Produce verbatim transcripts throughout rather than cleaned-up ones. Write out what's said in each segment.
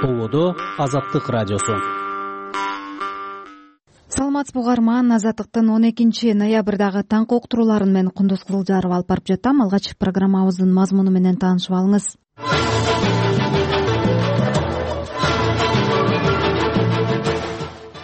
Болодо Азаттык радиосу. Саламатсызбы угарман, Азаттыктын он экинчи ноябрдагы таңкы уктурууларын мен Кундуз Кызылжарова алып барып жатам. Алгач программабыздын мазмуну менен таанышып алыңыз.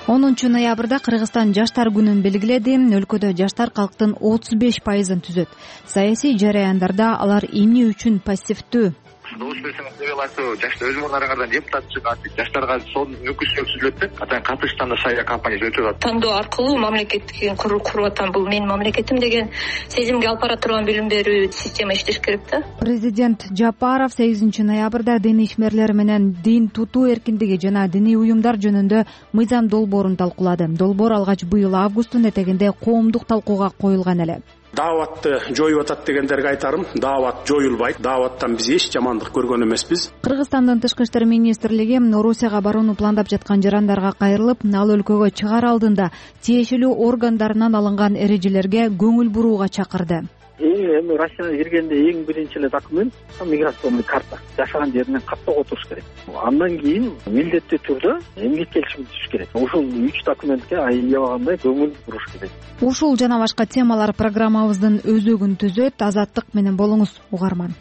онунчу ноябрда Кыргызстан жаштар күнүн белгиледи. Өлкөдө жаштар калктын отуз беш пайызын түзөт. Саясий жараяндарда алар эмне үчүн пассивдүү? Добуш берсеңиз деп аласыз, жаштар өз мурдарыңардан депутат чыгат, жаштарга сонун мүмкүнчүлүк түзүлөт деп, атаң катышканда шая кампаниясы өтүп атат. Тандоо аркылуу мамлекетти куруп атам, бул менин мамлекетим деген сезимге алып бара турган билим берүү система иштеш керек да. Президент Жапаров сегизинчи ноябрда дин ишмерлери менен дин тутуу эркиндиги жана диний уюмдар жөнүндө мыйзам долбоорун талкуулады. Долбоор алгач быйыл августтун этегинде коомдук талкууга коюлган эле. Дааватты жоюп атат дегендерге айтарым, даават жоюлбайт. Дааваттан биз эч жамандык көргөн эмеспиз. Кыргызстандын Тышкы иштер министрлиги Орусияга барууну пландап жаткан жарандарга кайрылып, ал өлкөгө чыгаар алдында тиешелүү органдарынан алынган эрежелерге көңүл бурууга чакырды. Эми Россияга киргенде эң биринчи эле документ миграционный карта. Жашаган жеринен каттоого туруш керек. Андан кийин милдеттүү түрдө эмгек келишими түзүш керек. Ушул үч документке аябагандай көңүл буруш керек. Ушул жана башка темалар программабыздын өзөгүн түзөт. Азаттык менен болуңуз, угарман.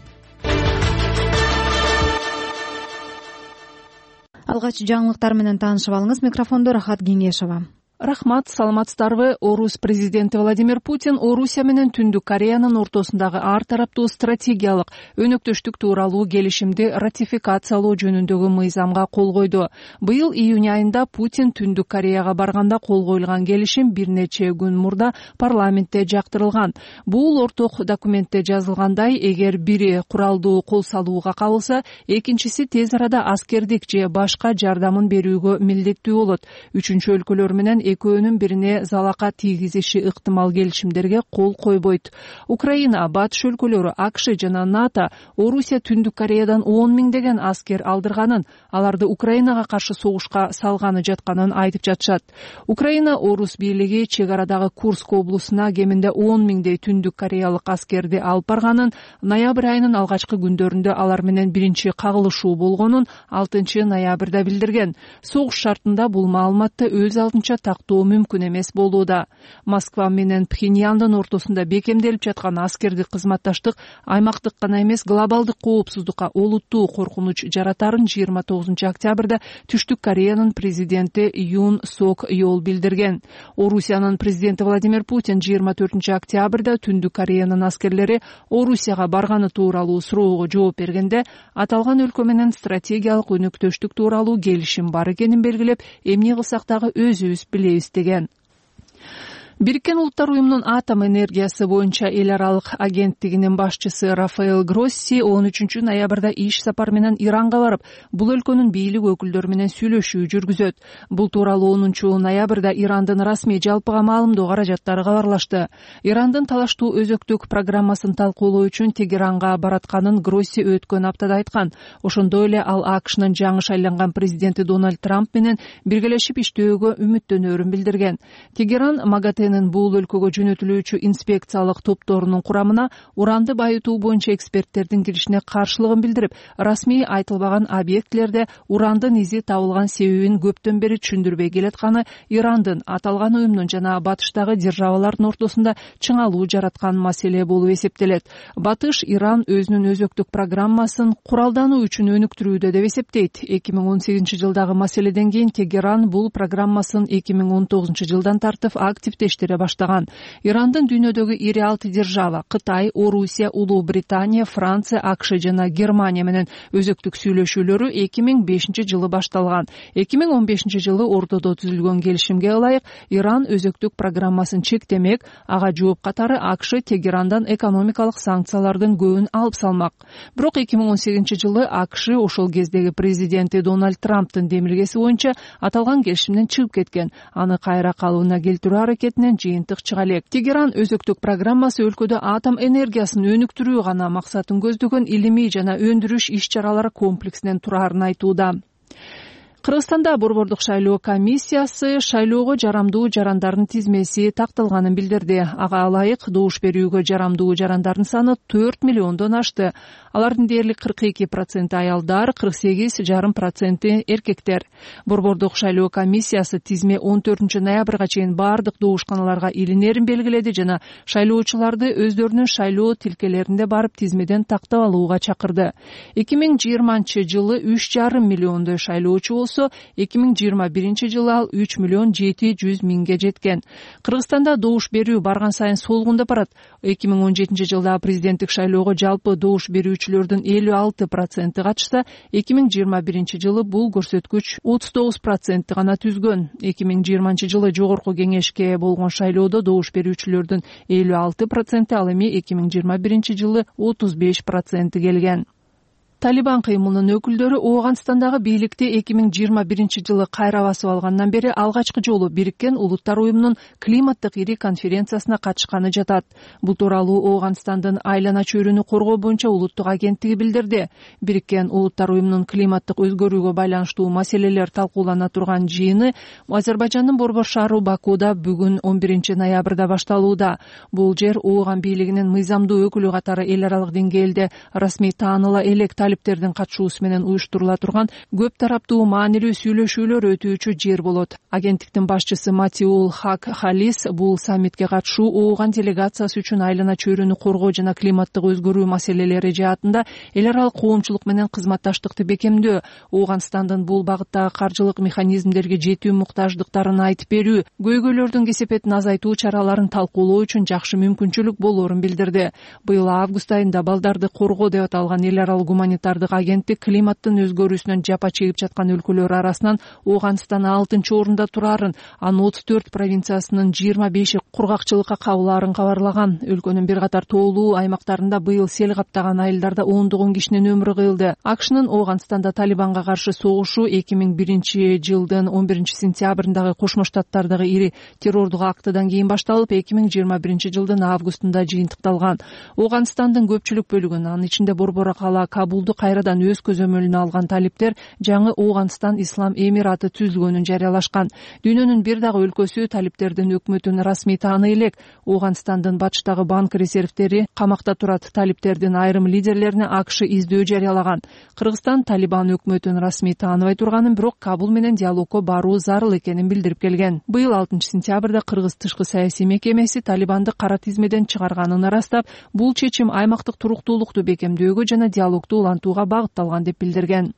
Алгач жаңылыктар менен таанышып алыңыз. Микрофондо Рахат Кеңешова. Рахмат, саламатсыздарбы? Орус президенти Владимир Путин Орусия менен Түндүк Кореянын ортосундагы ар тараптуу стратегиялык өнөктөштүк тууралуу келишимди ратификациялоо жөнүндөгү мыйзамга кол койду. Быйыл июнь айында Путин Түндүк Кореяга барганда кол коюлган келишим бир нече күн мурда парламентте жактырылган. Бул орток документте жазылгандай, эгер бири куралдуу кол салууга кабылса, экинчиси тез арада аскердик же башка жардамын берүүгө милдеттүү болот. Үчүнчү өлкөлөр менен экөөнүн бирине залака тийгизиши ыктымал келишимдерге кол койбойт. Украина, батыш өлкөлөрү, АКШ жана НАТО Орусия Түндүк Кореядан он миңдеген аскер алдырганын, аларды Украинага каршы согушка салганы жатканын айтып жатышат. Украина Орус бийлиги чек арадагы Курск облусуна кеминде он миңдей Түндүк Кореялык аскерди алып барганын, ноябрь айынын алгачкы күндөрүндө алар менен биринчи кагылышуу болгонун алтынчы ноябрда билдирген. Согуш шартында бул маалыматты өз алдынча тактоо мүмкүн эмес болууда. Москва менен Пхеньяндын ортосунда бекемделип жаткан аскердик кызматташтык аймактык гана эмес, глобалдык коопсуздукка олуттуу коркунуч жаратарын жыйырма тогузунчу октябрда Түштүк Кореянын президенти Юн Сок Йол билдирген. Орусиянын президенти Владимир Путин жыйырма төртүнчү октябрда Түндүк Кореянын аскерлери Орусияга барганы тууралуу суроого жооп бергенде, аталган өлкө менен стратегиялык өнөктөштүк тууралуу келишим бар экенин белгилеп, эмне кылсак дагы өзүбүз билебиз деген. Бириккен Улуттар уюмунун атом энергиясы боюнча эл аралык агенттигинин башчысы Рафаэл Гросси он үчүнчү ноябрда иш сапар менен Иранга барып, бул өлкөнүн бийлик өкүлдөрү менен сүйлөшүү жүргүзөт. Бул тууралуу онунчу ноябрда Ирандын расмий жалпыга маалымдоо каражаттары кабарлашты. Ирандын талаштуу өзөктүк программасын талкуулоо үчүн Тегеранга баратканын Гросси өткөн аптада айткан. Ошондой эле ал АКШнын жаңы шайланган президенти Дональд Трамп менен биргелешип иштөөгө үмүттөнөрүн билдирген. Тегеран МАГАТЭ бул өлкөгө жөнөтүлүүчү инспекциялык топторунун курамына уранды байытуу боюнча эксперттердин киришине каршылыгын билдирип, расмий айтылбаган объектилерде урандын изи табылган себебин көптөн бери түшүндүрбөй келатканы Ирандын аталган уюмдун жана батыштагы державалардын ортосунда чыңалуу жараткан маселе болуп эсептелет. Батыш Иран өзүнүн өзөктүк программасын куралдануу үчүн өнүктүрүүдө деп эсептейт. эки миң он сегизинчи жылдагы маселеден кийин Тегеран бул программасын эки миң он тогузунчу жылдан тартып активдештире баштаган. Ирандын дүйнөдөгү ири алты держава Кытай, Орусия, Улуу Британия, Франция, АКШ жана Германия менен өзөктүк сүйлөшүүлөрү эки миң бешинчи жылы башталган. эки миң он бешинчи жылы Ордодо түзүлгөн келишимге ылайык Иран өзөктүк программасын чектемек, ага жооп катары АКШ Тегерандан экономикалык санкциялардын көбүн алып салмак. Бирок эки миң он сегизинчи жылы АКШ ошол кездеги президенти Дональд Трамптын демилгеси боюнча аталган келишимден чыгып кеткен. Аны кайра калыбына келтирүү аракетинен жыйынтык чыга элек. Тегеран өзөктүк программасы өлкөдө атом энергиясын өнүктүрүү гана максатын көздөгөн илимий жана өндүрүш иш-чаралары комплексинен турарын айтууда. Кыргызстанда борбордук шайлоо комиссиясы шайлоого жарамдуу жарандардын тизмеси такталганын билдирди. Ага ылайык добуш берүүгө жарамдуу жарандардын саны төрт миллиондон ашты. Алардын дээрлик кырк эки проценти аялдар, кырк сегиз жарым проценти эркектер. Борбордук шайлоо комиссиясы тизме он төртүнчү ноябрга чейин бардык добушканаларга илинерин белгиледи жана шайлоочуларды өздөрүнүн шайлоо тилкелеринде барып тизмеден тактап алууга чакырды. эки миң жыйырманчы жылы үч жарым миллиондой шайлоочу болсо, эки миң жыйырма биринчи жылы ал үч миллион жети жүз миңге жеткен. Кыргызстанда добуш берүү барган сайын солгундап барат. эки миң он жетинчи жылда президенттик шайлоого жалпы добуш берүүчүлөрдүн элүү алты проценти катышса, эки миң жыйырма биринчи жылы бул көрсөткүч отуз тогуз процентти гана түзгөн. эки миң жыйырманчы жылы жогорку кеңешке болгон шайлоодо добуш берүүчүлөрдүн элүү алты проценти, ал эми эки миң жыйырма биринчи жылы отуз беш проценти келген. Талибан кыймылынын өкүлдөрү Ооганстандагы бийликти эки миң жыйырма биринчи жылы кайра басып алгандан бери алгачкы жолу Бириккен Улуттар уюмунун климаттык ири конференциясына катышканы жатат. Бул тууралуу Ооганстандын айлана чөйрөнү коргоо боюнча улуттук агенттиги билдирди. Бириккен Улуттар уюмунун климаттык өзгөрүүгө байланыштуу маселелер талкуулана турган жыйыны Азербайжандын борбор шаары Бакуда бүгүн он биринчи ноябрда башталууда. Бул жер Ооган бийлигинин мыйзамдуу өкүлү катары эл аралык деңгээлде расмий тааныла элек талиптердин катышуусу менен уюштурула турган көп тараптуу маанилүү сүйлөшүүлөр өтүүчү жер болот. Агенттиктин башчысы Матиул Хак Халис бул саммитке катышуу Ооган делегациясы үчүн айлана чөйрөнү коргоо жана климаттык өзгөрүү маселелери жаатында эл аралык коомчулук менен кызматташтыкты бекемдөө, Ооганстандын бул багыттагы каржылык механизмдерге жетүү муктаждыктарын айтып берүү, көйгөйлөрдүн кесепетин азайтуу чараларын талкуулоо үчүн жакшы мүмкүнчүлүк болоорун билдирди. Быйыл август айында балдарды коргоо деп аталган эл аралык гуманитардык агенттик климаттын өзгөрүүсүнөн жапа чегип жаткан өлкөлөр арасынан Ооганстан алтынчы орунда турарын, анын отуз төрт провинциясынын жыйырма беши кургакчылыкка кабылаарын кабарлаган. Өлкөнүн бир катар тоолуу аймактарында быйыл сел каптаган айылдарда ондогон кишинин өмүрү кыйылды. АКШнын Ооганстанда Талибанга каршы согушу эки миң биринчи жылдын он биринчи сентябрындагы Кошмо Штаттардагы ири террордук актыдан кийин башталып, эки миң жыйырма биринчи жылдын августунда жыйынтыкталган. Ооганстандын көпчүлүк бөлүгүн, анын ичинде борбор кала Кабулду кайрадан өз көзөмөлүнө алган талиптер жаңы Ооганстан Ислам Эмираты түзүлгөнүн жарыялашкан. Дүйнөнүн бир дагы өлкөсү талиптердин өкмөтүн расмий тааный элек. Ооганстандын батыштагы банк резервтери камакта турат. Талиптердин айрым лидерлерине АКШ издөө жарыялаган. Кыргызстан Талибан өкмөтүн расмий тааныбай турганын, бирок Кабул менен диалогко баруу зарыл экенин билдирип келген. Быйыл алтынчы сентябрда Кыргыз тышкы саясий мекемеси Талибанды кара тизмеден чыгарганын ырастап, бул чечим аймактык туруктуулукту бекемдөөгө жана диалогду улантууга багытталган деп билдирген.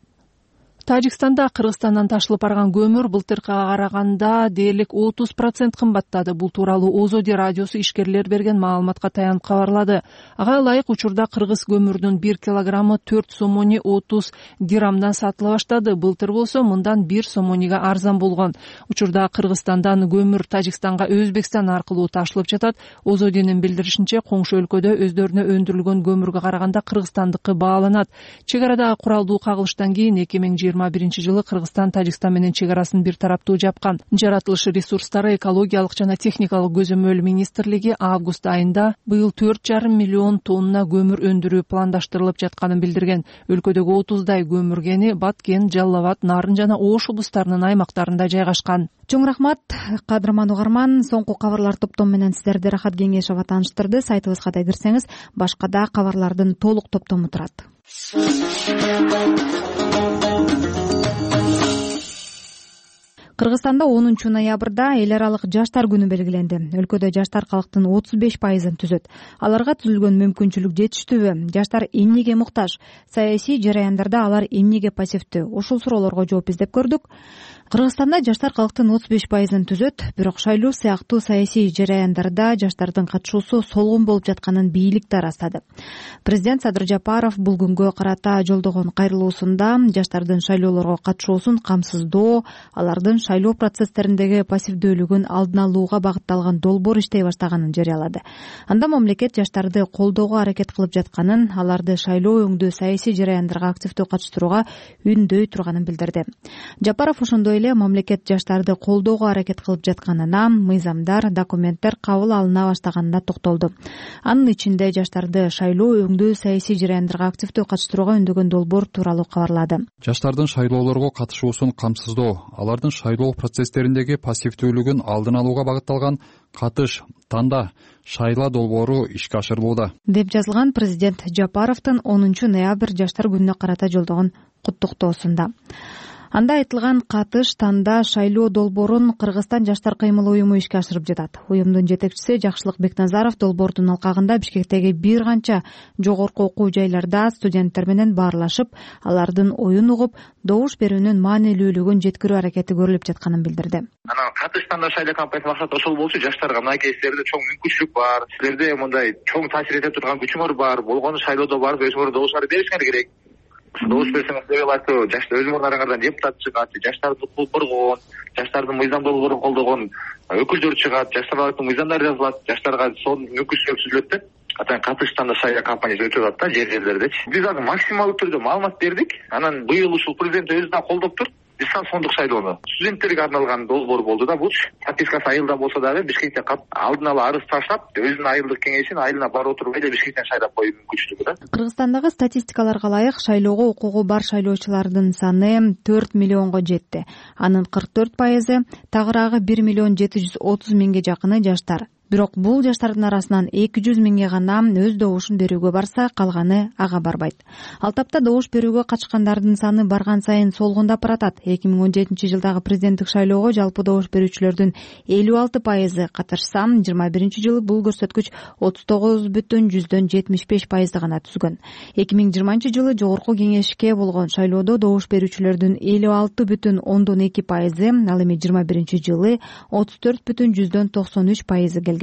Тажикстанда Кыргызстандан ташылып барган көмүр былтыркыга караганда дээрлик отуз процент кымбаттады. Бул тууралуу Озоди радиосу ишкерлер берген маалыматка таянып кабарлады. Ага ылайык учурда кыргыз көмүрүнүн бир килограммы төрт сомони отуз дирамдан сатыла баштады. Былтыр болсо мындан бир сомонига арзан болгон. Учурда Кыргызстандан көмүр Тажикстанга Өзбекстан аркылуу ташылып жатат. Озодинин билдиришинче, коңшу өлкөдө өздөрүнө өндүрүлгөн көмүргө караганда кыргызстандыкы бааланат. Чек арадагы куралдуу кагылыштан кийин эки миң жыйырма биринчи жылы Кыргызстан Тажикстан менен чек арасын бир тараптуу жапкан. Жаратылыш ресурстары, экологиялык жана техникалык көзөмөл министрлиги август айында быйыл төрт жарым миллион тонна көмүр өндүрүү пландаштырылып жатканын билдирген. Өлкөдөгү отуздай көмүр кени Баткен, Жалал Абад, Нарын жана Ош облустарынын аймактарында жайгашкан. Чоң рахмат, кадырман угарман. Соңку кабарлар топтому менен сиздерди Рахат Кеңешова тааныштырды. Сайтыбызга да кирсеңиз, башка да кабарлардын толук топтому турат. Кыргызстанда онунчу ноябрда эл аралык жаштар күнү белгиленди. Өлкөдө жаштар калктын отуз беш пайызын түзөт. Аларга түзүлгөн мүмкүнчүлүк жетиштүүбү? Жаштар эмнеге муктаж? Саясий жараяндарда алар эмнеге пассивдүү? Ушул суроолорго жооп издеп көрдүк. Кыргызстанда жаштар калктын отуз беш пайызын түзөт, бирок шайлоо сыяктуу саясий жараяндарда жаштардын катышуусу солгун болуп жатканын бийлик да ырастады. Президент Садыр Жапаров бул күнгө карата жолдогон кайрылуусунда жаштардын шайлоолорго катышуусун камсыздоо, алардын шайлоо процесстериндеги пассивдүүлүгүн алдын алууга багытталган долбоор иштей баштаганын жарыялады. Анда мамлекет жаштарды колдоого аракет кылып жатканын, аларды шайлоо өңдүү саясий жараяндарга активдүү катыштырууга үндөй турганын билдирди. Жапаров ошондой ошондой эле мамлекет жаштарды колдоого аракет кылып жатканына, мыйзамдар, документтер кабыл алына баштаганына токтолду. Анын ичинде жаштарды шайлоо, өңдөө, саясий жараяндарга активдүү катыштырууга үндөгөн долбоор тууралуу кабарлады. Жаштардын шайлоолорго катышуусун камсыздоо, алардын шайлоо процесстериндеги пассивдүүлүгүн алдын алууга багытталган катыш, танда, шайла долбоору ишке ашырылууда, деп жазылган президент Жапаровдун онунчу ноябрь жаштар күнүнө карата жолдогон куттуктоосунда. Анда айтылган катыш, танда, шайлоо долбоорун Кыргызстан жаштар кыймыл уюму ишке ашырып жатат. Уюмдун жетекчиси Жакшылык Бекназаров долбоордун алкагында Бишкектеги бир канча жогорку окуу жайларда студенттер менен баарлашып, алардын оюн угуп, добуш берүүнүн маанилүүлүгүн жеткирүү аракети көрүлүп жатканын билдирди. Анан катыш, танда, шайлоо кампаниясынын максаты ошол болчу, жаштарга мынакей силерде чоң мүмкүнчүлүк бар, силерде мындай чоң таасир эте турган күчүңөр бар, болгону шайлоодо барып өзүңөр добуштарды беришиңер керек. Добуш берсеңиз делегатты жаштар өз мурдарыңардан депутат чыгат, жаштарды укук коргогон, жаштардын мыйзам долбоорун колдогон өкүлдөр чыгат, жаштардын мыйзамдары жазылат, жаштарга сонун мүмкүнчүлүк түзүлөт деп атайын катыш, танда, шайлоо кампаниясы өтүп атат да жер жерлердечи. Биз азыр максималдуу түрдө маалымат бердик. Анан быйыл ушул президент өзү да колдоп тур. Ислам сондук шайлоону студенттерге арналган долбоор болду да, булчу подпискасы айылда болсо дагы Бишкекте алдын ала арыз таштап, өзүнүн айылдык кеңешин айылына барып отуруп эле Бишкектен шайлап коюу мүмкүнчүлүгү да. Кыргызстандагы статистикаларга ылайык шайлоого укугу бар шайлоочулардын саны төрт миллионго жетти. Анын кырк төрт пайызы, тагыраагы бир миллион жети жүз отуз миңге жакыны жаштар. Бирок бул жаштардын арасынан эки жүз миңге гана өз добушун берүүгө барса, калганы ага барбайт. Ал тапта добуш берүүгө катышкандардын саны барган сайын солгундап баратат. эки миң он жетинчи жылдагы президенттик шайлоого жалпы добуш берүүчүлөрдүн элүү алты пайызы катышса, жыйырма биринчи жылы бул көрсөткүч отуз тогуз бүтүн жүздөн жетимиш беш пайызды гана түзгөн. эки миң жыйырманчы жылы жогорку кеңешке болгон шайлоодо добуш берүүчүлөрдүн элүү алты бүтүн ондон эки пайызы, ал эми жыйырма биринчи жылы отуз төрт бүтүн жүздөн токсон үч пайызы келген.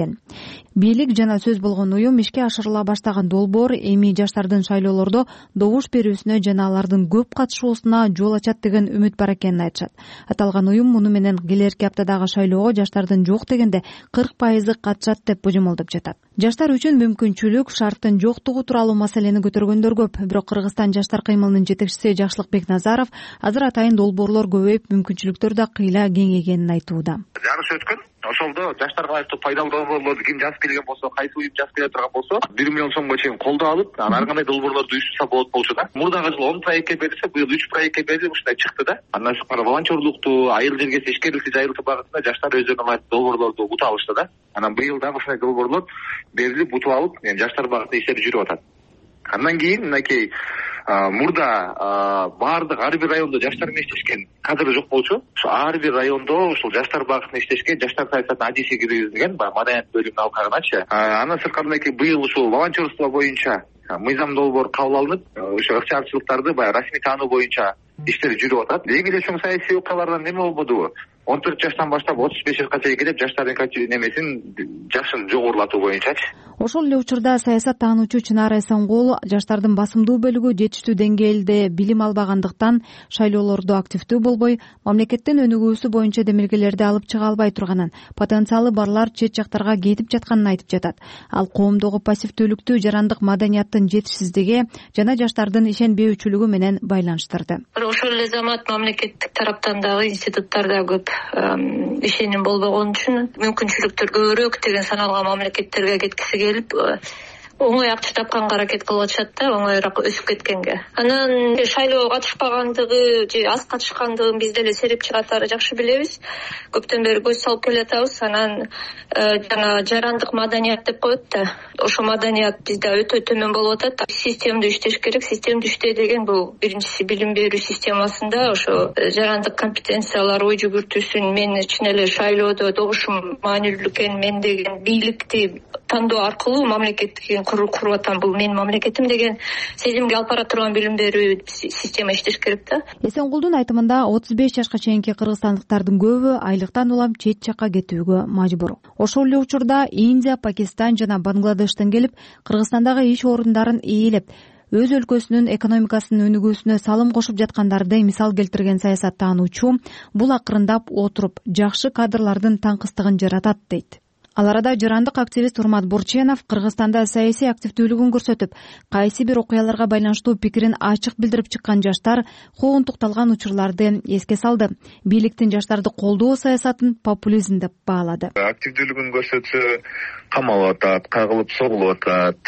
Бийлик жана сөз болгон уюм ишке ашырыла баштаган долбоор эми жаштардын шайлоолордо добуш берүүсүнө жана алардын көп катышуусуна жол ачат деген үмүт бар экенин айтышат. Аталган уюм муну менен келерки аптадагы шайлоого жаштардын жок дегенде кырк пайызы катышат деп божомолдоп жатат. Жаштар үчүн мүмкүнчүлүк шарттын жоктугу тууралуу маселени көтөргөндөр көп. Бирок Кыргызстан жаштар кыймылынын жетекчиси Жакшылык Бекназаров азыр атайын долбоорлор көбөйүп, мүмкүнчүлүктөр да кыйла кеңейгенин айтууда. Жарыш өткөн. Ошолдо жаштарга айлыктуу пайдалуу долбоорлорду ким жазып келген болсо, кайсы уюм жазып келе турган болсо, бир миллион сомго чейин колдоо алып, анан ар кандай долбоорлорду уюштурса болот болчу да. Мурдагы жылы он проектке берилсе, быйыл үч проектке берилип ушундай чыкты да. Андан тышкары волонтерлукту, айыл жерге ишкерликти жайылтуу багытында жаштар өздөрүнө ылайыктуу долбоорлорду утуп алышты да. Анан быйыл дагы ушундай долбоорлор берилип утуп алып, жаштар багытында иштер жүрүп атат. Андан кийин мынакей мурда баардык ар бир райондо жаштар менен иштешкен кадр жок болчу. Ошо ар бир райондо ушул жаштар багытында иштешкен жаштар саясатына адиси киргизилген маданият бөлүмүнүн алкагыначы. Андан сырткары мынакей быйыл ушул волонтерство боюнча мыйзам долбоор кабыл алынып, ошо ыктыярчылыктарды баягы расмий таануу боюнча иштер жүрүп атат. Эң эле чоң саясий окуялардан неме болбодубу? он төрт жаштан баштап отуз беш жашка чейин келип жаштардын немесин жашын жогорулатуу боюнчачы. Ошол эле учурда саясат таануучу Чынара Эсенгул жаштардын басымдуу бөлүгү жетиштүү деңгээлде билим албагандыктан шайлоолордо активдүү болбой, мамлекеттин өнүгүүсү боюнча демилгелерди алып чыга албай турганын, потенциалы барлар чет жактарга кетип жатканын айтып жатат. Ал коомдогу пассивдүүлүктү жарандык маданияттын жетишсиздиги жана жаштардын ишенбөөчүлүгү менен байланыштырды. Ошол эле замат мамлекеттик тараптан дагы институттарда көп ишеним болбогон үчүн мүмкүнчүлүктөр көбүрөөк деген саналган мамлекеттерге кеткиси келип оңой акча тапканга аракет кылып атышат да, оңоюраак өсүп кеткенге. Анан шайлоого катышпагандыгы же аз катышкандыгын биз деле сереп чыгатары жакшы билебиз. Көптөн бери көз салып келатабыз. Анан жана жарандык маданият деп коет да. Ошо маданият бизде өтө төмөн болуп атат. Системдүү иштеш керек. Системдүү иштей деген бул биринчиси билим берүү системасында ошо жарандык компетенциялар ой жүгүртүүсүн, мен чын эле шайлоодо добушум маанилүү экен, мен деген бийликти тандоо аркылуу мамлекеттик куруп атам, бул менин мамлекетим деген сезимге алып бара турган билим берүү система иштеш керек да. Эсенгулдун айтымында отуз беш жашка чейинки кыргызстандыктардын көбү айлыктан улам чет жакка кетүүгө мажбур. Ошол эле учурда Индия, Пакистан жана Бангладештен келип Кыргызстандагы иш орундарын ээлеп, өз өлкөсүнүн экономикасынын өнүгүүсүнө салым кошуп жаткандарды мисал келтирген саясаттаануучу бул акырындап отуруп жакшы кадрлардын таңкыстыгын жаратат дейт. Ал арада жырандык активист Урмат Бурченов Кыргызстанда саясий активдүүлүгүн көрсөтүп, кайсы бир окуяларга байланыштуу пикирин ачык билдирип чыккан жаштар куугунтукталган учурларды эске салды. Бийликтин жаштарды колдоо саясатын популизм деп баалады. Активдүүлүгүн көрсөтсө камалып атат, кагылып согулуп атат.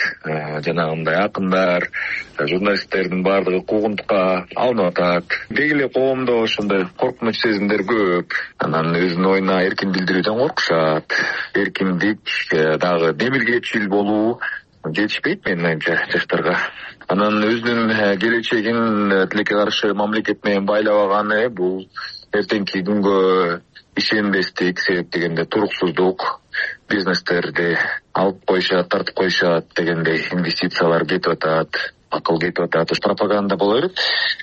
Жанагындай акындар, журналисттердин баардыгы куугунтукка алынып атат. Деги эле коомдо ошондой коркунуч сезимдер көп. Анан өзүнүн оюна эркин билдирүүдөн коркушат. Эркиндик дагы демиргечил болуу жетишпейт менин оюмча жаштарга. Анан өзүнүн келечегин тилекке каршы мамлекет менен байлабаганы бул эртеңки күнгө ишенбестик, себеп дегенде туруксуздук, бизнестерди алып коюшат, тартып коюшат дегендей инвестициялар кетип атат, акыл кетип атат. Пропаганда боло берет.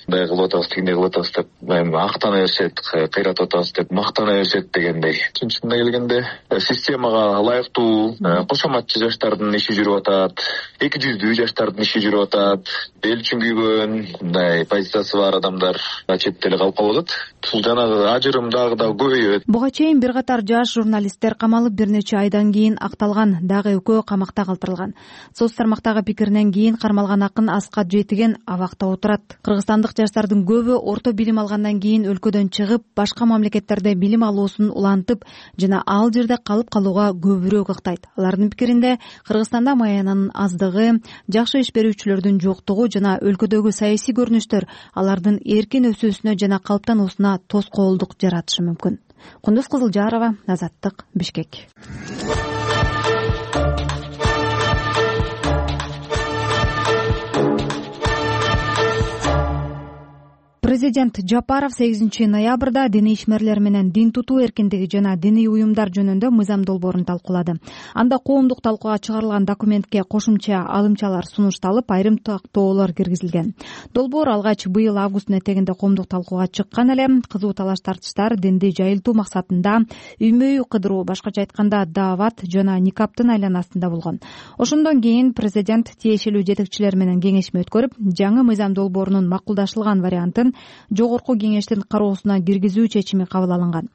Мындай кылып атабыз, тигиндей кылып атабыз деп актана беришет, кыйратып атабыз деп мактана беришет дегендей. Чынчысына келгенде системага ылайыктуу кошоматчы жаштардын иши жүрүп атат, эки жүздүү жаштардын иши жүрүп атат. Эл үчүн күйгөн, мындай позициясы бар адамдар четте эле калып калып атат. Бул жанагы ажырым дагы да көбөйөт. Буга чейин бир катар жаш журналисттер камалып, бир нече айдан кийин акталган, дагы экөө камакта калтырылган. Соц тармактагы пикиринен кийин кармалган акын Аскат Жетиген абакта отурат. Кыргызстандык жаштардын көбү орто билим алгандан кийин өлкөдөн чыгып, башка мамлекеттерде билим алуусун улантып жана ал жерде калып калууга көбүрөөк ыктайт. Алардын пикиринде Кыргызстанда маянанын аздыгы, жакшы иш берүүчүлөрдүн жоктугу жана өлкөдөгү саясий көрүнүштөр алардын эркин өсүүсүнө жана калыптануусуна тоскоолдук жаратышы мүмкүн. Кундуз Кызылжарова, Азаттык, Бишкек. Президент Жапаров сегизинчи ноябрда диний ишмерлер менен дин тутуу эркиндиги жана диний уюмдар жөнүндө мыйзам долбоорун талкуулады. Анда коомдук талкууга чыгарылган документке кошумча алымчалар сунушталып, айрым тактоолор киргизилген. Долбоор алгач быйыл августтун этегинде коомдук талкууга чыккан эле. Кызуу талаш-тартыштар динди жайылтуу максатында үймө-үй кыдыруу, башкача айтканда даават жана никаптын айланасында болгон. Ошондон кийин президент тиешелүү жетекчилер менен кеңешме өткөрүп, жаңы мыйзам долбоорунун макулдашылган вариантын жогорку кеңештин кароосуна киргизүү чечими кабыл алынган.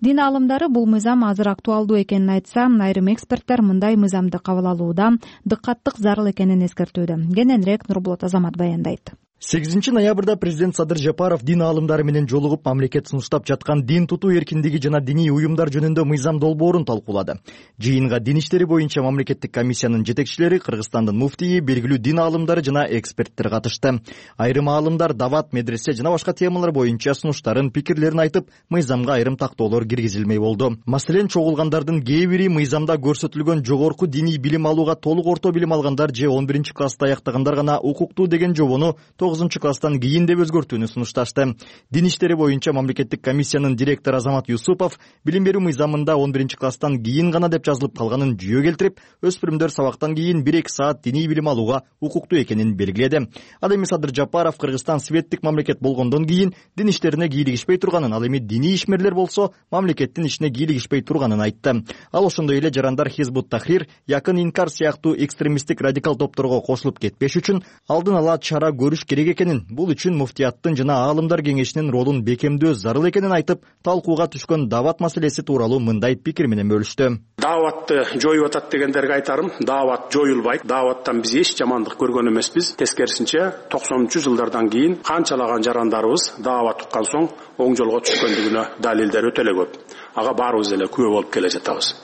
Дин аалымдары бул мыйзам азыр актуалдуу экенин айтса, айрым эксперттер мындай мыйзамды кабыл алууда дыккаттык зарыл экенин эскертүүдө. Кененирээк Нурбулат Азамат баяндайт. сегизинчи ноябрда президент Садыр Жапаров дин аалымдары менен жолугуп, мамлекет сунуштап жаткан дин тутуу эркиндиги жана диний уюмдар жөнүндө мыйзам долбоорун талкуулады. Жыйынга дин иштери боюнча мамлекеттик комиссиянын жетекчилери, Кыргызстандын муфтийи, белгилүү дин аалымдары жана эксперттер катышты. Айрым аалымдар дават, медресе жана башка темалар боюнча сунуштарын, пикирлерин айтып, мыйзамга айрым тактоолор киргизилмей болду. Маселен, чогулгандардын кээ бири мыйзамда көрсөтүлгөн жогорку диний билим алууга толук орто билим алгандар же он биринчи класста аяктагандар гана укуктуу деген жобону тогузунчу класстан кийин деп өзгөртүүнү сунушташты. Дин иштери боюнча мамлекеттик комиссиянын директору Азамат Юсупов билим берүү мыйзамында он биринчи класстан кийин гана деп жазылып калганын жүйө келтирип, өспүрүмдөр сабактан кийин бир эки саат диний билим алууга укуктуу экенин белгиледи. Ал эми Садыр Жапаров Кыргызстан светтик мамлекет болгондон кийин дин иштерине кийлигишпей турганын, ал эми диний ишмерлер болсо мамлекеттин ишине кийлигишпей турганын айтты. Ал ошондой эле жарандар Хизбут Тахрир, Якын Инкар сыяктуу экстремисттик радикал топторго кошулуп кетпеш үчүн алдын ала чара көрүш керек экенин, бул үчүн муфтияттын жана аалымдар кеңешинин ролун бекемдөө зарыл экенин айтып, талкууга түшкөн дават маселеси тууралуу мындай пикир менен бөлүштү. Дааватты жоюп атат дегендерге айтарым, даават жоюлбайт. Дааваттан биз эч жамандык көргөн эмеспиз. Тескерисинче токсонунчу жылдардан кийин канчалаган жарандарыбыз даават уккан соң оң жолго түшкөндүгүнө далилдер өтө эле көп. Ага баарыбыз эле күбө болуп келе жатабыз.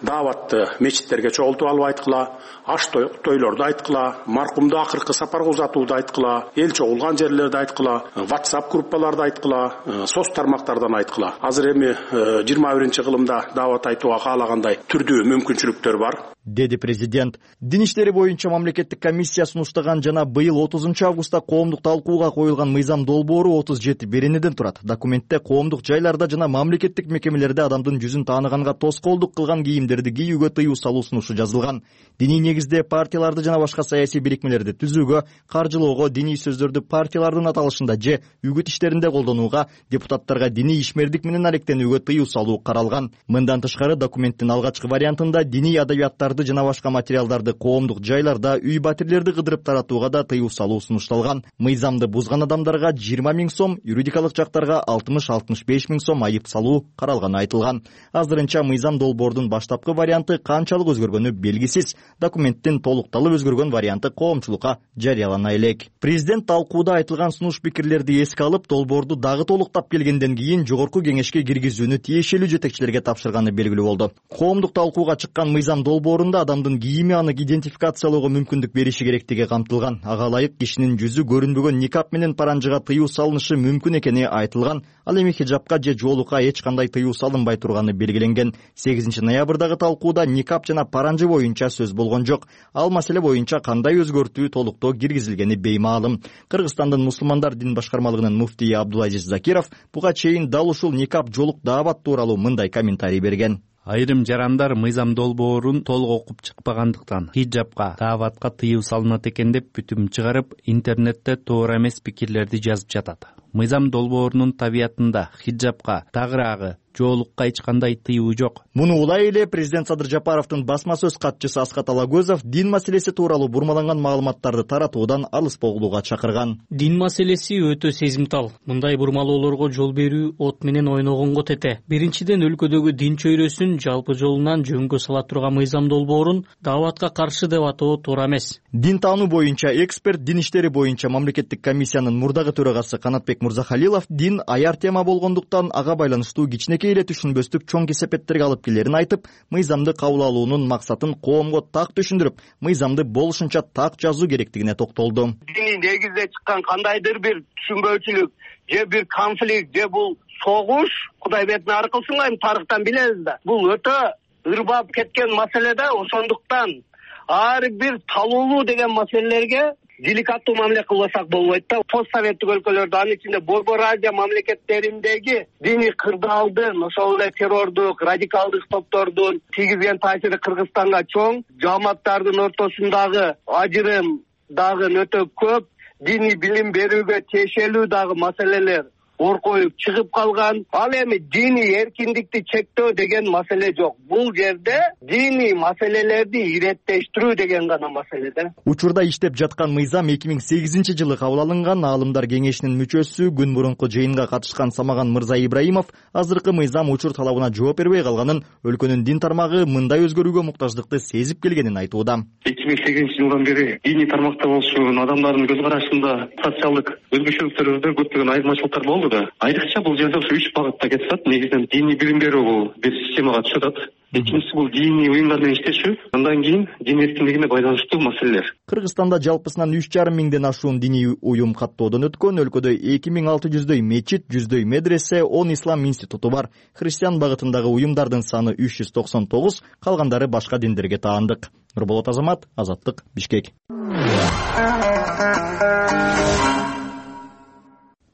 Дааватты мечиттерге чогултуп алып айткыла, аш тойлорду айткыла, маркумду акыркы сапарга узатууду айткыла, эл чогулган жерлерди айткыла, WhatsApp группаларды айткыла, соц тармактардан айткыла. Азыр эми жыйырма биринчи кылымда даават айтууга каалагандай түрдүү мүмкүнчүлүктөр бар, деди президент. Дин иштери боюнча мамлекеттик комиссия сунуштаган жана быйыл отузунчу августта коомдук талкууга коюлган мыйзам долбоору отуз жети беренеден турат. Документте коомдук жайларда жана мамлекеттик мекемелерде адамдын жүзүн тааныганга тоскоолдук кылган кийимдерди кийүүгө тыюу салуу сунушу жазылган. Диний негизде партияларды жана башка саясий бирикмелерди түзүүгө, каржылоого, диний сөздөрдү партиялардын аталышында же үгүт иштеринде колдонууга, депутаттарга диний ишмердик менен алектенүүгө тыюу салуу каралган. Мындан тышкары документтин алгачкы вариантында диний адабияттар кааларды жана башка материалдарды коомдук жайларда, үй батирлерди кыдырып таратууга да тыюу салуу сунушталган. Мыйзамды бузган адамдарга жыйырма миң сом, юридикалык жактарга алтымыш алтымыш беш миң сом айып салуу каралганы айтылган. Азырынча мыйзам долбоордун баштапкы варианты канчалык өзгөргөнү белгисиз. Документтин толукталып өзгөргөн варианты коомчулукка жарыялана элек. Президент талкууда айтылган сунуш пикирлерди эске алып, долбоорду дагы толуктап келгенден кийин жогорку кеңешке киргизүүнү тиешелүү жетекчилерге тапшырганы белгилүү болду. Коомдук талкууга чыккан мыйзам долбоорунда адамдын кийими аны идентификациялоого мүмкүндүк бериши керектиги камтылган. Ага ылайык кишинин жүзү көрүнбөгөн никап менен паранжыга тыюу салынышы мүмкүн экени айтылган. Ал эми хиджабка же жоолукка эч кандай тыюу салынбай турганы белгиленген. сегизинчи ноябрдагы талкууда никап жана паранжы боюнча сөз болгон жок. Ал маселе боюнча кандай өзгөртүү, толуктоо киргизилгени беймаалым. Кыргызстандын мусулмандар дин башкармалыгынын муфтийи Абдулазиз Закиров буга чейин дал ушул никап, жоолук, даават тууралуу мындай комментарий берген. Айрым жарандар мыйзам долбоорун толук окуп чыкпагандыктан хиджабка, дааватка тыюу салынат экен деп бүтүм чыгарып, интернетте туура эмес пикирлерди жазып жатат. Мыйзам долбоорунун табиятында хиджабка, тагыраагы, жоолукка эч кандай тыюу жок. Муну улай эле президент Садыр Жапаровдун басма сөз катчысы Аскат Алагөзов дин маселеси тууралуу бурмаланган маалыматтарды таратуудан алыс болууга чакырган. Дин маселеси өтө сезимтал. Мындай бурмалоолорго жол берүү от менен ойногонго тете. Биринчиден, өлкөдөгү дин чөйрөсүн жалпы жолунан жөнгө сала турган мыйзам долбоорун дааватка каршы деп атоо туура эмес. Дин таануу боюнча эксперт, дин иштери боюнча мамлекеттик комиссиянын мурдагы төрагасы Канатбек Мурзахалилов дин аяр тема болгондуктан ага байланыштуу кичинекей эле түшүнбөстүк чоң кесепеттерге алып келерин айтып, мыйзамды кабыл алуунун максатын коомго так түшүндүрүп, мыйзамды болушунча так жазуу керектигине токтолду. Диний негизде чыккан кандайдыр бир түшүнбөөчүлүк же бир конфликт же бул согуш, Кудай бетин ары кылсынга, эми тарыхтан билебиз да. Бул өтө ырбап кеткен маселе да, ошондуктан ар бир талуулуу деген маселелерге деликаттуу мамиле кылбасак болбойт да. Постсоветтик өлкөлөрдө, анын ичинде Борбор Азия мамлекеттериндеги диний кырдаалдын, ошол эле террордук, радикалдык топтордун тийгизген таасири Кыргызстанга чоң, жамааттардын ортосундагы ажырым дагы өтө көп, диний билим берүүгө тиешелүү дагы маселелер оркоюп чыгып калган. Ал эми диний эркиндикти чектөө деген маселе жок. Бул жерде диний маселелерди иреттештирүү деген гана маселе да. Учурда иштеп жаткан мыйзам эки миң сегизинчи жылы кабыл алынган. Аалымдар кеңешинин мүчөсү, күн мурунку жыйынга катышкан Самаган Мырза Ибраимов азыркы мыйзам учур талабына жооп бербей калганын, өлкөнүн дин тармагы мындай өзгөрүүгө муктаждыкты сезип келгенин айтууда. эки миң сегизинчи жылдан бери диний тармакта болушун адамдардын көз карашында социалдык өзгөчөлүктөрдө көптөгөн айырмачылыктар болду. Айрыкча бул жерде ушу үч багытта кетет. Негизинен диний билим берүү бул бир системага түшүп атат. Экинчиси бул диний уюмдар менен иштешүү, андан кийин дин эркиндигине байланыштуу маселелер. Кыргызстанда жалпысынан үч жарым миңден ашуун диний уюм каттоодон өткөн. Өлкөдө эки миң алты жүздөй мечит, жүздөй медресе, он ислам институту бар. Христиан багытындагы уюмдардын саны үч жүз токсон тогуз, калгандары башка диндерге таандык. Нурболот Азамат, Азаттык, Бишкек.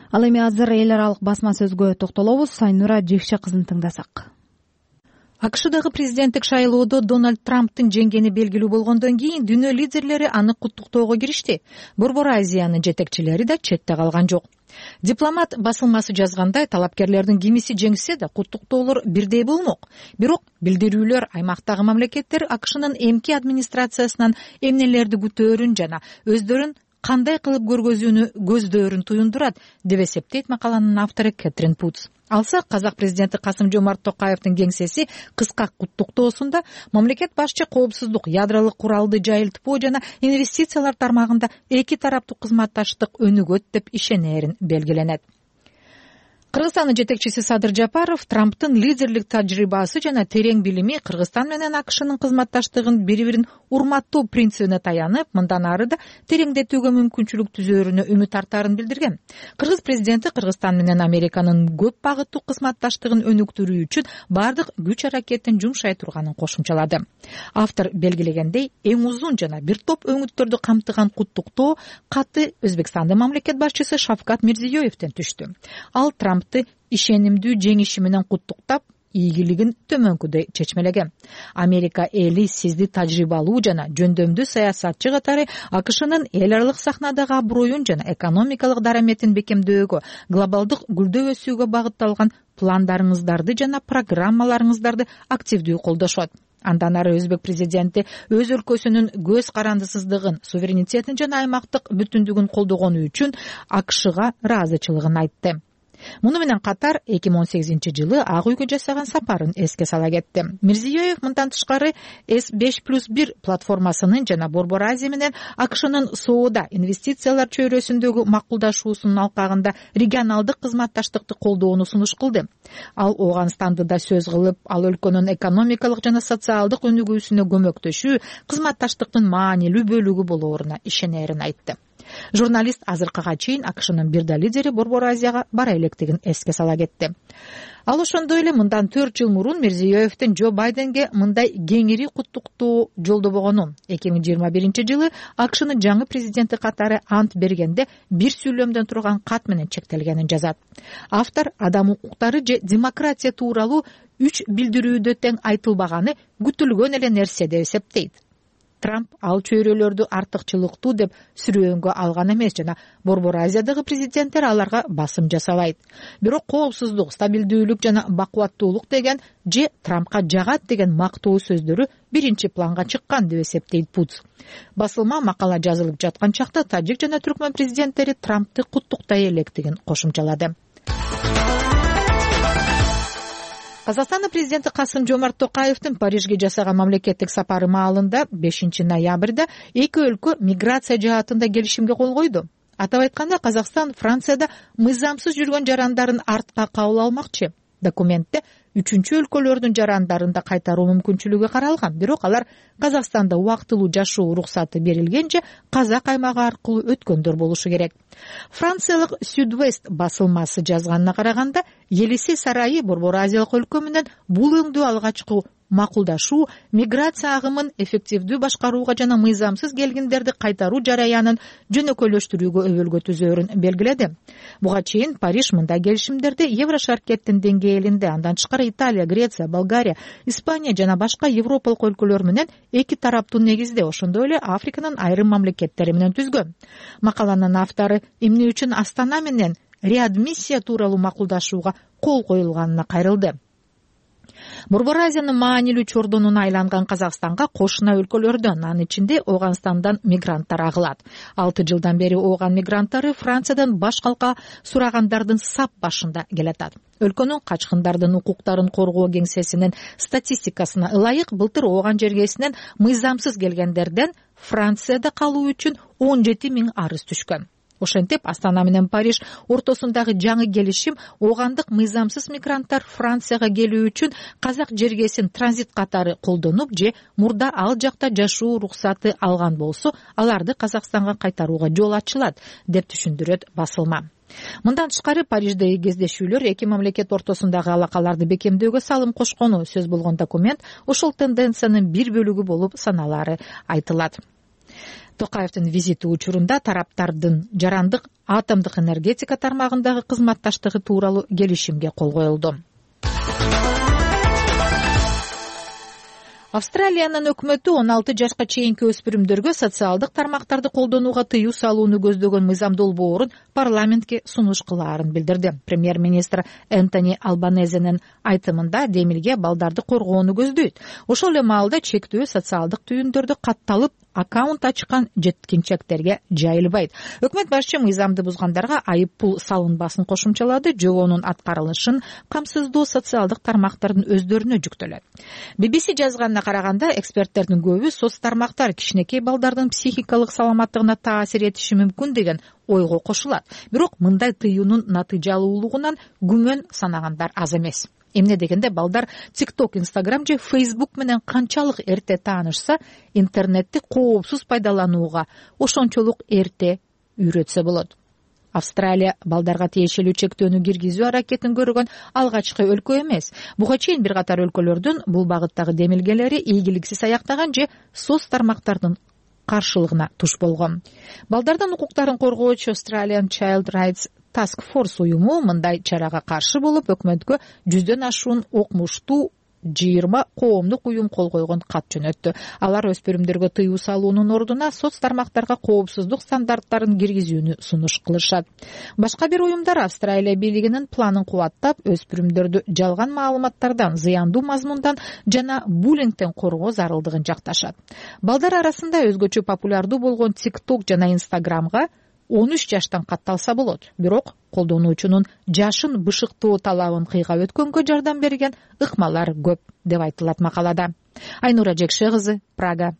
Ал эми азыр эл аралык басма сөзгө токтолобуз. Сайнура Жекше кызын тыңдасак. АКШдагы президенттик шайлоодо Дональд Трамптын жеңгени белгилүү болгондон кийин дүйнө лидерлери аны куттуктоого киришти. Борбор Азиянын жетекчилери да четте калган жок. Дипломат басылмасы жазгандай, талапкерлердин кимиси жеңсе да куттуктоолор бирдей болмок. Бирок билдирүүлөр аймактагы мамлекеттер АКШнын эмки администрациясынан эмнелерди күтөөрүн жана өздөрүн кандай кылып көргөзүүнү көздөөрүн туюндурат деп эсептейт макаланын автору Кэтрин Путс. Алса, казак президенти Касым Жомарт Токаевдин кеңсеси кыска куттуктоосунда мамлекет башчы коопсуздук, ядролук куралды жайылтпоо жана инвестициялар тармагында эки тараптуу кызматташтык өнүгөт деп ишенерин белгиленет. Кыргызстандын жетекчиси Садыр Жапаров Трамптын лидерлик тажрыйбасы жана терең билими Кыргызстан менен АКШнын кызматташтыгын бири-бирин урматтоо принцибине таянып, мындан ары да тереңдетүүгө мүмкүнчүлүк түзөөрүнө үмүт артаарын билдирген. Кыргыз президенти Кыргызстан менен Американын көп багыттуу кызматташтыгын өнүктүрүү үчүн бардык күч аракетин жумшай турганын кошумчалады. Автор белгилегендей, эң узун жана бир топ өңүттөрдү камтыган куттуктоо каты Өзбекстандын мамлекет башчысы Шавкат Мирзиёевден түштү. Ал Трампты ишенимдүү жеңиши менен куттуктап, ийгилигин төмөнкүдөй чечмелеген. Америка эли сизди тажрыйбалуу жана жөндөмдүү саясатчы катары АКШнын эл аралык сахнадагы аброюн жана экономикалык дараметин бекемдөөгө, глобалдык гүлдөө өсүүгө багытталган пландарыңыздарды жана программаларыңыздарды активдүү колдошот. Андан ары өзбек президенти өз өлкөсүнүн көз карандысыздыгын, суверенитетин жана аймактык бүтүндүгүн колдогону үчүн АКШга ыраазычылыгын айтты. Муну менен катар эки миң он сегизинчи жылы Ак үйгө жасаган сапарын эске сала кетти. Мирзиёев мындан тышкары эс беш плюс бир платформасынын жана Борбор Азия менен АКШнын соода, инвестициялар чөйрөсүндөгү макулдашуусунун алкагында регионалдык кызматташтыкты колдоону сунуш кылды. Ал Ооганстанды да сөз кылып, ал өлкөнүн экономикалык жана социалдык өнүгүүсүнө көмөктөшүү кызматташтыктын маанилүү бөлүгү болооруна ишенерин айтты. Журналист азыркыга чейин АКШнын бир да лидери Борбор Азияга бара электигин эске сала кетти. Ал ошондой эле мындан төрт жыл мурун Мирзиёевдин Джо Байденге мындай кеңири куттуктоо жолдобогонун, эки миң жыйырма биринчи жылы АКШнын жаңы президенти катары ант бергенде бир сүйлөмдөн турган кат менен чектелгенин жазат. Автор адам укуктары же демократия тууралуу үч билдирүүдө тең айтылбаганы күтүлгөн эле нерсе деп эсептейт. Трамп ал чөйрөлөрдү артыкчылыктуу деп сүрөөнгө алган эмес жана Борбор Азиядагы президенттер аларга басым жасабайт. Бирок коопсуздук, стабилдүүлүк жана бакубаттуулук деген же Трампка жагат деген мактоо сөздөрү биринчи планга чыккан деп эсептейт Путс. Басылма макала жазылып жаткан чакта тажик жана түркмөн президенттери Трампты куттуктай электигин кошумчалады. Казакстандын президенти Касым-Жомарт Токаевдин Парижге жасаган мамлекеттик сапары маалында бешинчи ноябрда эки өлкө миграция жаатында келишимге кол койду. Атап айтканда, Казакстан Францияда мыйзамсыз жүргөн жарандарын артка кабыл алмакчы. Документте үчүнчү өлкөлөрдүн жарандарын да кайтаруу мүмкүнчүлүгү каралган, бирок алар Казакстанда убактылуу жашоо уруксаты берилгенче Казак аймагы аркылуу өткөндөр болушу керек. Франциялык Südwest басылмасы жазганына караганда, Елисей сарайы Борбор Азиялык өлкө менен бул өңдүү алгачкы макулдашуу миграция агымын эффективдүү башкарууга жана мыйзамсыз келгиндерди кайтаруу жараянын жөнөкөйлөштүрүүгө өбөлгө түзөөрүн белгиледи. Буга чейин Париж мындай келишимдерди Еврошаркеттин деңгээлинде, андан тышкары Италия, Греция, Болгария, Испания жана башка европалык өлкөлөр менен эки тараптуу негизде, ошондой эле Африканын айрым мамлекеттери менен түзгөн. Макаланын автору эмне үчүн Астана менен реадмиссия тууралуу макулдашууга кол коюлганына кайрылды. Борбор Азиянын маанилүү чордонуна айланган Казакстанга кошуна өлкөлөрдөн, анын ичинде Ооганстандан мигранттар агылат. Алты жылдан бери Ооган мигранттары Франциядан баш калка сурагандардын сап башында келатат. Өлкөнүн качкындардын укуктарын коргоо кеңсесинин статистикасына ылайык былтыр Ооган жергесинен мыйзамсыз келгендерден Францияда калуу үчүн он жети миң арыз түшкөн. Ошентип, Астана менен Париж ортосундагы жаңы келишим оогандык мыйзамсыз мигранттар Францияга келүү үчүн казак жергесин транзит катары колдонуп же мурда ал жакта жашоо уруксаты алган болсо, аларды Казакстанга кайтарууга жол ачылат, деп түшүндүрөт басылма. Мындан тышкары Париждеги кездешүүлөр эки мамлекет ортосундагы алакаларды бекемдөөгө салым кошкону сөз болгон документ ошол тенденциянын бир бөлүгү болуп саналары айтылат. Токаевдин визити учурунда тараптардын жарандык атомдук энергетика тармагындагы кызматташтыгы тууралуу келишимге кол коюлду. Австралиянын өкмөтү он алты жашка чейинки өспүрүмдөргө социалдык тармактарды колдонууга тыюу салууну көздөгөн мыйзам долбоорун парламентке сунуш кылаарын билдирди. Премьер-министр Энтони Албанезенин айтымында демилге балдарды коргоону көздөйт. Ошол эле маалда чектөө социалдык түйүндөрдү катталып, аккаунт ачкан жеткинчектерге жайылбайт. Өкмөт башчы мыйзамды бузгандарга айып пул салынбасын кошумчалады, жобонун аткарылышын камсыздоо социалдык тармактардын өздөрүнө жүктөлөт. би би си жазганына караганда, эксперттердин көбү соц тармактар кичинекей балдардын психикалык саламаттыгына таасир этиши мүмкүн деген ойго кошулат. Бирок мындай тыюунун натыйжалуулугунан күмөн санагандар аз эмес. Эмне дегенде, балдар TikTok, Instagram же Facebook менен канчалык эрте таанышса, интернетти коопсуз пайдаланууга ошончолук эрте үйрөтсө болот. Австралия балдарга тиешелүү чектөөнү киргизүү аракетин көргөн алгачкы өлкө эмес. Буга чейин бир катар өлкөлөрдүн бул багыттагы демилгелери ийгиликсиз аяктаган же соц тармактардын каршылыгына туш болгон. Балдардын укуктарын коргоочу Australian Child Rights Task Force уюму мындай чарага каршы болуп, өкмөткө жүздөн ашуун окумуштуу жыйырма коомдук уюм кол койгон кат жөнөттү. Алар өспүрүмдөргө тыюу салуунун ордуна соц тармактарга коопсуздук стандарттарын киргизүүнү сунуш кылышат. Башка бир уюмдар Австралия бийлигинин планын кубаттап, өспүрүмдөрдү жалган маалыматтардан, зыяндуу мазмундан жана буллингден коргоо зарылдыгын жакташат. Балдар арасында өзгөчө популярдуу болгон TikTok жана Instagramга он үч жаштан катталса болот. Бирок колдонуучунун жашын бышыктоо талабын кыйгап өткөнгө жардам берген ыкмалар көп деп айтылат макалада. Айнура Жекше кызы, Прага.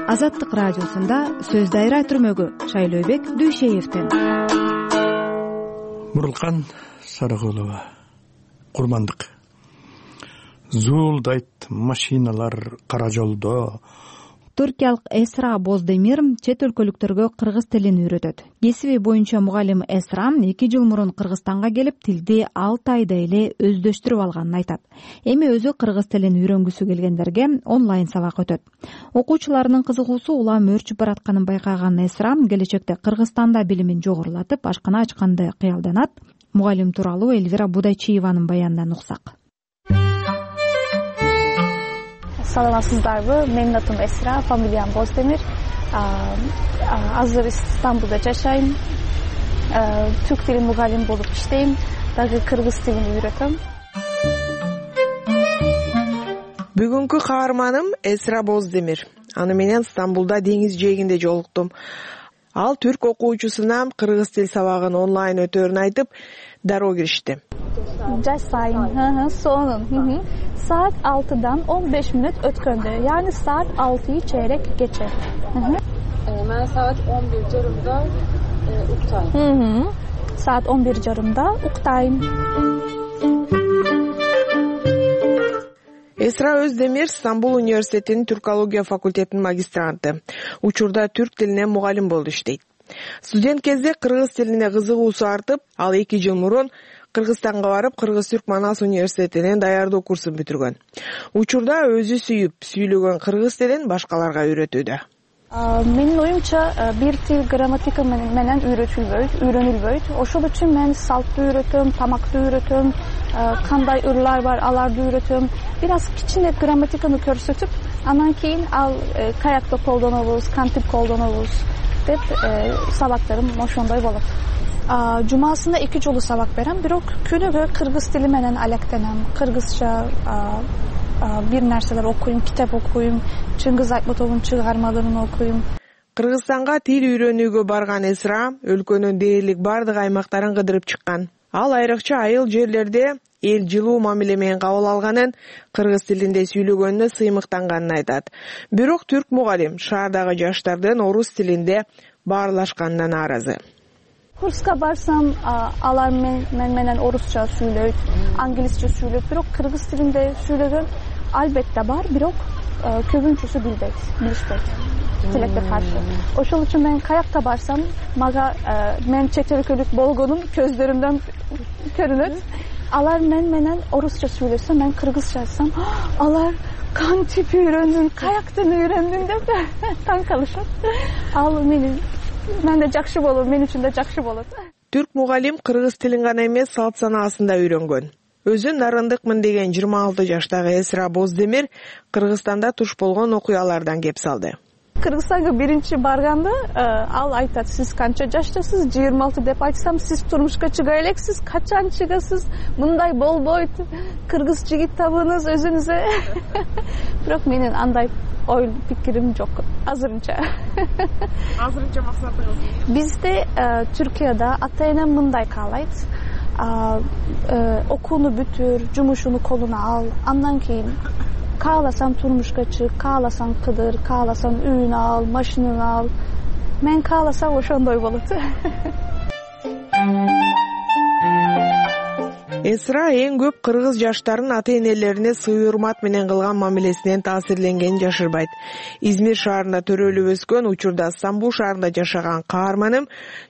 Азаттык радиосунда сөз дайра түрмөгү Шайлообек Дүйшеевден. Мурулкан Сарыгулова, курмандык. Зуулдайт машиналар кара жолдо. Түркиялык Эсра Боздемир чет өлкөлүктөргө кыргыз тилин үйрөтөт. Кесиби боюнча мугалим Эсра эки жыл мурун Кыргызстанга келип, тилди алты айда эле өздөштүрүп алганын айтат. Эми өзү кыргыз тилин үйрөнгүсү келгендерге онлайн сабак өтөт. Окуучуларынын кызыгуусу улам өөрчүп баратканын байкаган Эсра келечекте Кыргызстанда билимин жогорулатып, ашкана ачканды кыялданат. Мугалим тууралуу Эльвира Будайчиеванын баянынан уксак. Саламатсыздарбы? Менин атым Эсра, фамилиям Боздемир. Азыр Стамбулда жашайм. Түрк тилин мугалим болуп иштейм. Дагы кыргыз тилин үйрөтөм. Бүгүнкү каарманым Эсра Боздемир. Аны менен Стамбулда деңиз жээгинде жолуктум. Ал түрк окуучусуна кыргыз тил сабагын онлайн өтөөрүн айтып, дароо киришти. Жашайм. Сонун. Saat altıdan on beş minut ötköndü. Yani saat altıyı çeyrek geçe. Ben saat on bir jarımda e, uktayım. Hı hı. Saat on bir jarımda uktayım. Эсра Өздемир Стамбул университетинин түркология факультетинин магистранты. Учурда түрк тилине мугалим болуп иштейт. Студент кезде кыргыз тилине кызыгуусу артып, ал эки жыл мурун Кыргызстанга барып, Кыргыз-Түрк Манас университетинен даярдоо курсун бүтүргөн. Учурда өзү сүйүп, сүйлөгөн кыргыз тилин башкаларга үйрөтүүдө. Менин оюмча бир тил грамматика менен үйрөтүлбөйт, үйрөнүлбөйт. Ошол үчүн мен салтты үйрөтөм, тамакты үйрөтөм, кандай ырлар бар, аларды үйрөтөм. Бир аз кичине грамматиканы көрсөтүп, анан кийин ал каякта колдонобуз, кантип колдонобуз деп сабактарым ошондой болот. Жумасында эки жолу сабак берем, бирок күнүгө кыргыз тили менен алектенем. Кыргызча бир нерселер окуйм, китеп окуйм, Чыңгыз Айтматовдун чыгармаларын окуйм. Кыргызстанга тил үйрөнүүгө барган Эсра өлкөнүн дээрлик бардык аймактарын кыдырып чыккан. Ал айрыкча айыл жерлерде эл жылуу мамиле менен кабыл алганын, кыргыз тилинде сүйлөгөнүнө сыймыктанганын айтат. Бирок түрк мугалим шаардагы жаштардын орус тилинде баарлашканына нааразы. Kurska barsam alar men, men menen Orusça söyleyip, Anglisçe söyleyip, birok Kırgız tilinde söylegen albette var, birok köbünçüsü bilbeyt, bilişbeyt, tilekte karşı. Oşul için men kayakta barsam, maga men çetelkölük bolgonum közlerimden görünür. Alar men menen Orusça söylese, men Kırgızça etsem, alar kan tipi öğrendin, kayaktan öğrendin de tan kalışat. Al menin. Мен да жакшы болот, мен үчүн да жакшы болот. Түрк мугалим кыргыз тилин гана эмес, салт санаасын да үйрөнгөн. Өзү нарындыкмын деген жыйырма алты жаштагы Эсра Боздемир Кыргызстанда туш болгон окуялардан кеп салды. Кыргызстанга биринчи барганда ал айтат, сиз канча жаштасыз? жыйырма алты деп айтсам, сиз турмушка чыга элексиз, качан чыгасыз? Мындай болбойт. Кыргыз жигит табыңыз өзүңүзгө. Бирок менин андай ой пикирим жок азырынча. Азырынча максатыңыз? Бизде Түркияда ата-эне мындай каалайт. Окууну бүтүр, жумушуну колуна ал, андан кийин кааласаң турмушка чык, кааласаң кыдыр, кааласаң үйүн ал, машинаны ал. Мен кааласам ошондой болот. Эсра эң көп кыргыз жаштарын ата-энелерине сый урмат менен кылган мамилесинен таасирленгенин жашырбайт. Измир шаарында төрөлүп өскөн, учурда Стамбул шаарында жашаган каарманым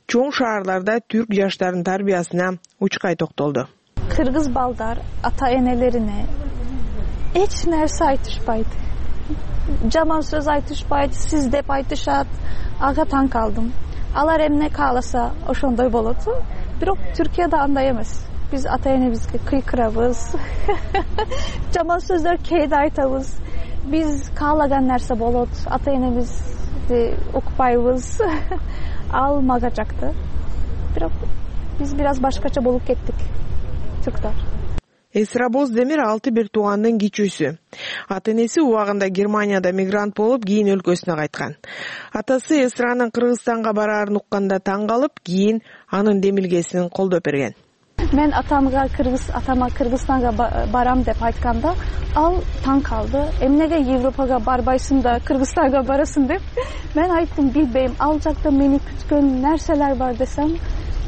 чоң шаарларда түрк жаштарынын тарбиясына учкай токтолду. Кыргыз балдар ата-энелерине эч нерсе айтышпайт. Жаман сөз айтышпайт, сиз деп айтышат. Ага таң калдым. Алар эмне кааласа ошондой болот. Бирок Түркияда андай эмес. биз ата энебизге кыйкырабыз, жаман сөздөр кээде айтабыз. Биз каалаган нерсе болот, ата энебизди укпайбыз. Ал мага жакты. Бирок биз бир аз башкача болуп кеттик, түрктөр. Эсра Боздемир алты бир туугандын кичүүсү. Ата энеси убагында Германияда мигрант болуп, кийин өлкөсүнө кайткан. Атасы Эсранын Кыргызстанга бараарын укканда таң калып, кийин анын демилгесин колдоп берген. Мен атамга Кыргыз атама Кыргызстанга барам деп айтканда, ал таң калды. Эмнеге Европага барбайсың да Кыргызстанга барасың деп. Мен айттым, билбейм, ал жакта мени күткөн нерселер бар десем,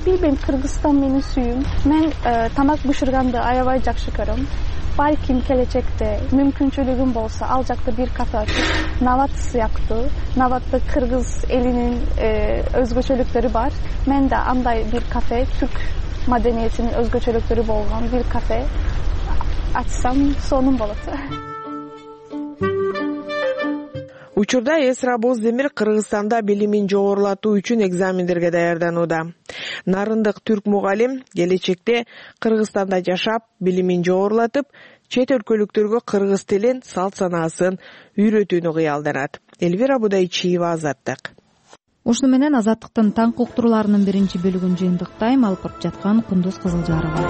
билбейм, Кыргызстан менин сүйүм. Мен э, тамак бышырганды аябай жакшы көрөм. Балким келечекте мүмкүнчүлүгүм болсо, ал жакта бир кафе ачып, Нават сыяктуу, Наватта кыргыз элинин э, өзгөчөлүктөрү бар. Мен да андай бир кафе, түрк маданиятынын өзгөчөлүктөрү болгон бир кафе ачсам, сонун болот. Учурда Эсра Боздемир Кыргызстанда билимин жогорулатуу үчүн экзамендерге даярданууда. Нарындык түрк мугалим келечекте Кыргызстанда жашап, билимин жогорулатып, чет өлкөлүктөргө кыргыз тилин, салт санаасын үйрөтүүнү кыялданат. Элвира Будайчиева, Азаттык. Ушуну менен Азаттыктын таңкы уктурууларынын биринчи бөлүгүн жыйынтыктайм. Алып барып жаткан Кундуз Кызылжарова.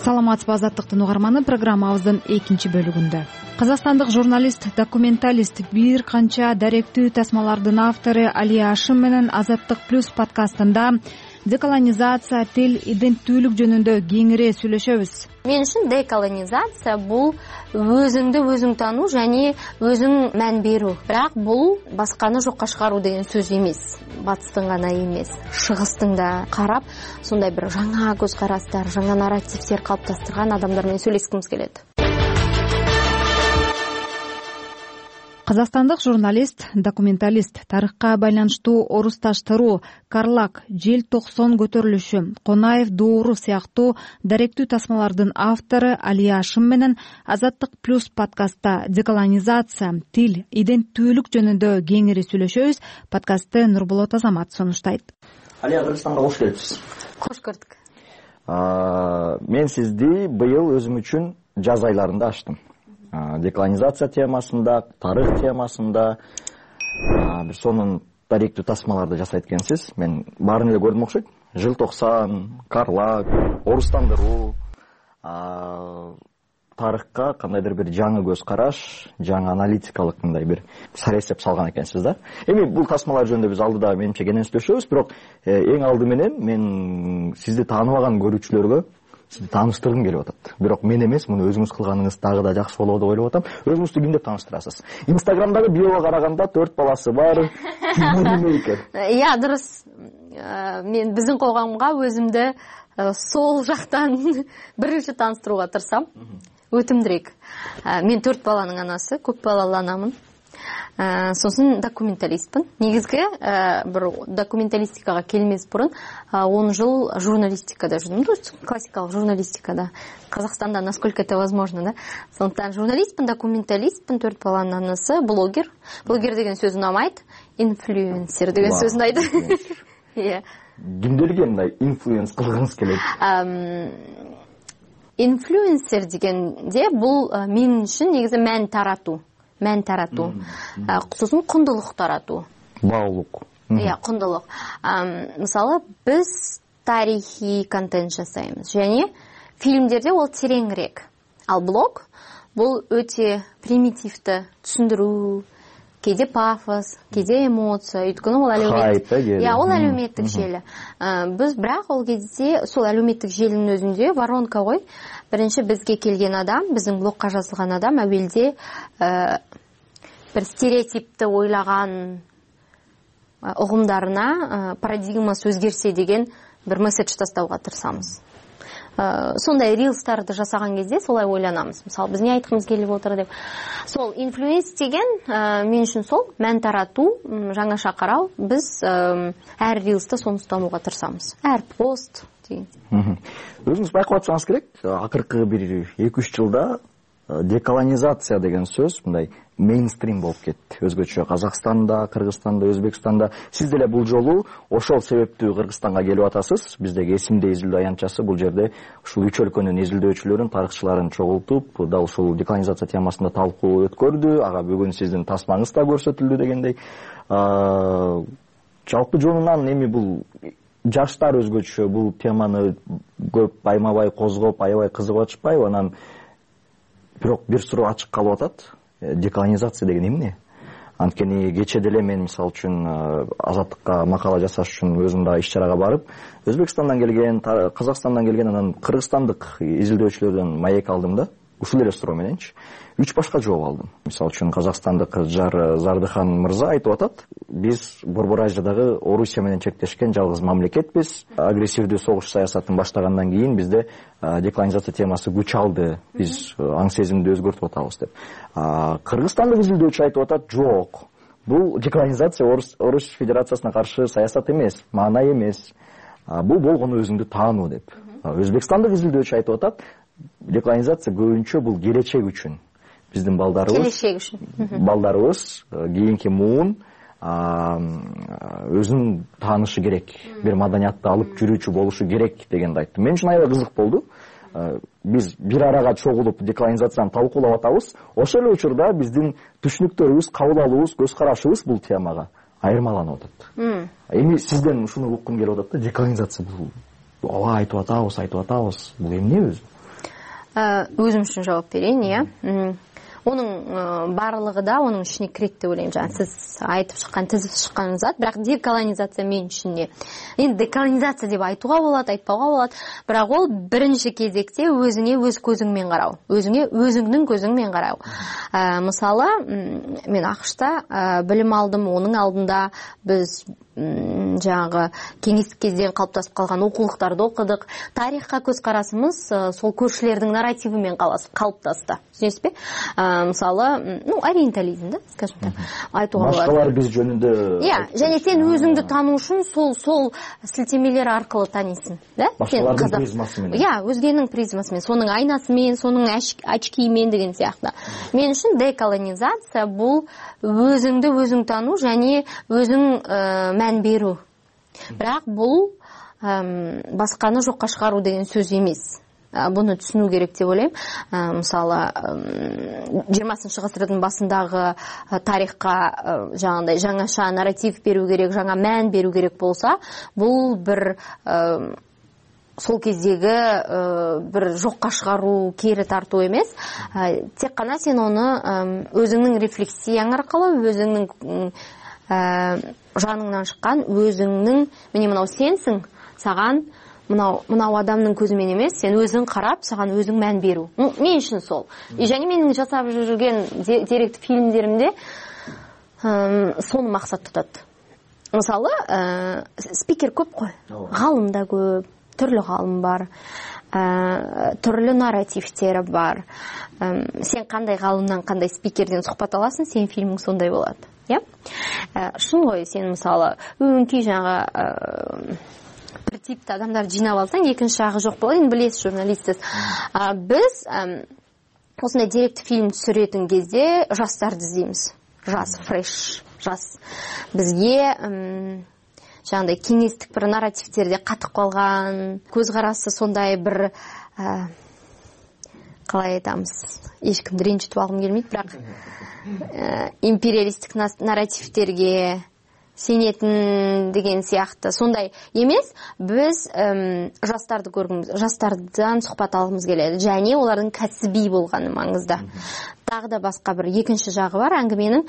Саламатсызбы, Азаттыктын угарманы, программабыздын экинчи бөлүгүндө. Казакстандык журналист, документалист, бир канча даректүү тасмалардын автору Алия Ашим менен Азаттык плюс подкастында деколонизация, тил, иденттүүлүк жөнүндө кеңири сүйлөшөбүз. Мен үчүн деколонизация бул өзүңдү өзүң таануу жана өзүң мән берүү. Бирок бул башканы жокко чыгаруу деген сөз эмес. Батыстын гана эмес, чыгыстын да карап, сондай бир жаңа көз карастар, жаңа нарративдер калыптастырган адамдар менен сүйлөшкүмүз келет. Казакстандык журналист, документалист, тарыхка байланыштуу орус таштыруу, Карлак, Жел токсон көтөрүлүшү, Конаев доору сыяктуу даректүү тасмалардын автору Алия Ашим менен Азаттык плюс подкастта деколонизация, тил, иденттүүлүк жөнүндө кеңири сүйлөшөбүз. Подкастты Нурболот Азамат сунуштайт. Алия, Кыргызстанга кош келипсиз. Кош көрдүк. Мен сизди быйыл өзүм үчүн жаз айларында ачтым. Деколонизация темасында, тарых темасында бир сонун даректүү тасмаларды жасайт экенсиз. Мен баарын эле көрдүм окшойт. Жыл токсон, Карлак, орустандыруу, тарыхка кандайдыр бир жаңы көз караш, жаңы аналитикалык мындай бир саресеп салган экенсиз да. Эми бул тасмалар жөнүндө биз алдыда менимче кенен сүйлөшөбүз, бирок эң алды менен мен сизди тааныбаган көрүүчүлөргө сизди тааныштыргым келип атат. Бирок мен эмес, муну өзүңүз кылганыңыз дагы да жакшы болот деп ойлоп атам. Өзүңүздү ким деп тааныштырасыз? Инстаграмдагы биого караганда төрт баласы бар. Иә, дурус. Мен биздин койгонго өзүмдү сол жактан биринчи тааныштырууга тырысам. Өтүмдүрөөк. Мен төрт баланын анасы, көп балалуу анамын. Сосын документалистпин. Негизги бир документалистикага келмес бурун он жыл журналистикада жүрдүм, классикалык журналистикада. Казакстанда насколько это возможно, да? Сондуктан журналистпин, документалистпин, төрт баланын анасы, блогер. Блогер деген сөз унамайт, инфлюенсер деген сөз унайды. Иә. Кимдерге мындай инфлюенс кылгыңыз келет? Инфлюенсер дегенде бул мен үчүн негизи мән таратуу. Мән таратуу. Сосын кундулук таратуу. Баалуулук. Иә, кундулук. Мисалы, биз тарихи контент жасайбыз. Және фильмдерде ол тереңирээк. Ал блог бул өтө примитивді түшүндүрүү, кейде пафос, кейде эмоция, өйткөнү ол әлеуметтик. Иә, ол әлеуметтик желі. Біз бірақ ол кезде сол әлеуметтик желінің өзінде воронка ғой. биринчи бизге келген адам, биздин блогко жазылган адам абелде бир стереотипти ойлаган угумдарына парадигмасы өзгерсе деген бир месседж тастауга тырышабыз. Сондай рилстарды жасаган кезде солай ойланабыз. Мисалы, биз эмне айткыбыз келип отур деп. Сол инфлюенс деген мен үчүн сол мән таратуу, жаңаша кароо. Биз әр рилста сону устанууга тырышабыз. Әр пост деген. Өзүңүз байкап атсаңыз керек, акыркы бир эки үч жылда деколонизация деген сөз мындай мейнстрим болуп кетти. Өзгөчө Казакстанда, Кыргызстанда, Өзбекстанда. Сиз деле бул жолу ошол себептүү Кыргызстанга келип атасыз. Биздеги эсимде изилдөө аянтчасы бул жерде ушул үч өлкөнүн изилдөөчүлөрүн, тарыхчыларын чогултуп, дал ушул деколонизация темасында талкуу өткөрдү. Ага бүгүн сиздин тасмаңыз да көрсөтүлдү дегендей. Жалпы жонунан эми бул жаштар өзгөчө бул теманы көпаймабай козгоп, аябай кызыгып атышпайбы? Анан бирок бир суроо ачык калып атат. Деколонизация деген эмне? Анткени кече деле мен мисалы үчүн Азаттыкка макала жасаш үчүн өзүм да иш-чарага барып, Өзбекстандан келген, Казакстандан келген, анан кыргызстандык изилдөөчүлөрдөн маек алдым да. Ушул эле суроо мененчи үч башка жооп алдым. Мисалы үчүн Казакстандык Жар Зардыхан мырза айтып атат, биз Борбор Азиядагы Орусия менен чектешкен жалгыз мамлекетпиз. Агрессивдүү согуш саясатын баштагандан кийин бизде деколонизация темасы күч алды. Биз аң сезимди өзгөртүп атабыз деп. Кыргызстандык изилдөөчү айтып атат, жок. Бул деколонизация Орус Федерациясына каршы саясат эмес, маана эмес. Бул болгону өзүңдү таануу деп. Өзбекстандык изилдөөчү айтып атат, деколонизация көбүнчө бул келечек үчүн. Биздин балдарыбыз, келечек үчүн. Балдарыбыз кийинки муун өзүн таанышы керек, бир маданиятты алып жүрүүчү болушу керек дегенди айтты. Мен үчүн аябай кызык болду. Биз бир арага чогулуп деколонизацияны талкуулап атабыз. Ошол эле учурда биздин түшүнүктөрүбүз, кабыл алуубуз, көз карашыбыз бул темага айырмаланып атат. Эми сизден ушуну уккум келип атат да, деколонизация бул ооба айтып атабыз, айтып атабыз. Бул эмне өзү? Өзүм үчүн жооп берейин, э. Онун баардыгы да онун ичине кирет деп ойлойм. Жана сиз айтып чыккан, тизип чыккан зат, бирок деколонизация мен үчүн эмне? Эми деколонизация деп айтууга болот, айтпауга болот, бирок ол биринчи кезекте өзүңө өз көзүң менен кароо, өзүңө өзүңдүн көзүң менен кароо. Мисалы, мен АКШта билим алдым, онун алдында биз жаңагы кеңестик кезден калыпташып калган окуулуктарды окудук. Тарихка көз карасыбыз сол көршүлөрдүн нарративи менен калыпташты. Түшүнөсүзбү? Мисалы, ну, ориентализм да, скажем так, айтууга болот. Башкалар биз жөнүндө. Иә, және сен өзүңдү таануу үчүн сол сол силтемелер аркылуу таанисың, да? Башкалардын призмасы менен. Иә, өзгенин призмасы менен, сонун айнасы менен, сонун очки менен деген сыяктуу. Мен үчүн деколонизация бул өзүңдү өзүң таануу және өзүң мән берүү. Бирок бул басканы жокко чыгаруу деген сөз эмес. Буну түшүнүү керек деп ойлойм. Мисалы, жыйырмасынчы гасырдын башындагы тарихка жаңандай жаңаша нарратив берүү керек, жаңа мән берүү керек болса, бул бир сол кездеги бир жокко чыгаруу, кери тартуу эмес. Тек гана сен аны өзүңдүн рефлексияң аркылуу, өзүңдүн жаныңнан чыккан, өзүңдүн міне мынау сенсиң, саган мынау мынау адамдын көзү менен эмес, сен өзүң карап, саган өзүң мән берүү. Мен үчүн сол. И және менин жасап жүргөн деректик фильмдеримде сону максат тутат. Мисалы, спикер көп кой, гаалым да көп, түрлүү гаалым бар, түрлүү нарративтер бар. Сен кандай гаалымдан, кандай спикерден сухбат аласың, сен фильмиң сондай болот. Иә? Шын ғой, сен мисалы, өңкей жаңа бір типті адамдар жинап алсаң, екінші жағы жоқ болады. Енді білесіз, журналистсіз. Біз осындай деректі фильм түсіретін кезде жастарды іздейміз. Жас, фреш, жас. Бізге жаңағыдай кеңестік бір нарративтерде қатып қалған, көзқарасы сондай бір қалай айтамыз, ешкімді ренжітіп алғым келмейді, бірақ империалистік нарративтерге сенетін деген сияқты сондай емес. Біз жастарды көргіміз, жастардан сұхбат алғымыз келеді, және олардың кәсіби болғаны маңызды. Тағы да басқа бір екінші жағы бар әңгіменің.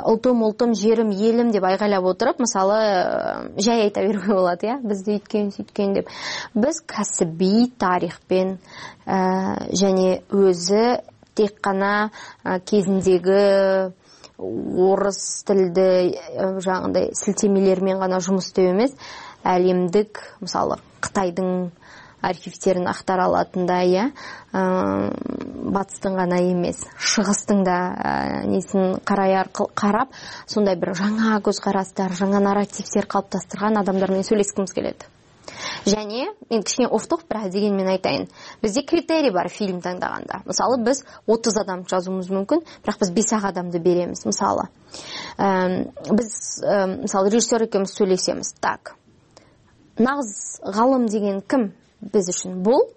ултум ултум жерим элим деп айгайлап отуруп мисалы жай айта берүүгө болот, э бизди үйткөн сөйткөн деп. Биз касыбий тарихпен және өзү тек гана кезиндеги орус тилди жаңагындай силтемелер менен гана жумуш істеп эмес, әлемдик мисалы Кытайдын архивтерин актара алатындай, э батыстын гана эмес, чыгыстын да несин карай аркылуу карап, сондай бир жаңа көз карастар, жаңа нарративдер калыптастырган адамдар менен сүйлөшкүбүз келет. Және мен кичине офтоп бираз деген мен айтайын. Бизде критерий бар фильм таңдаганда. Мисалы биз отуз адам жазуубуз мүмкүн, бирок биз беш адамды беремиз. Мисалы биз мисалы режиссер экөөбүз сүйлөшөбүз. Так. Нагыз галым деген ким биз үчүн? Бул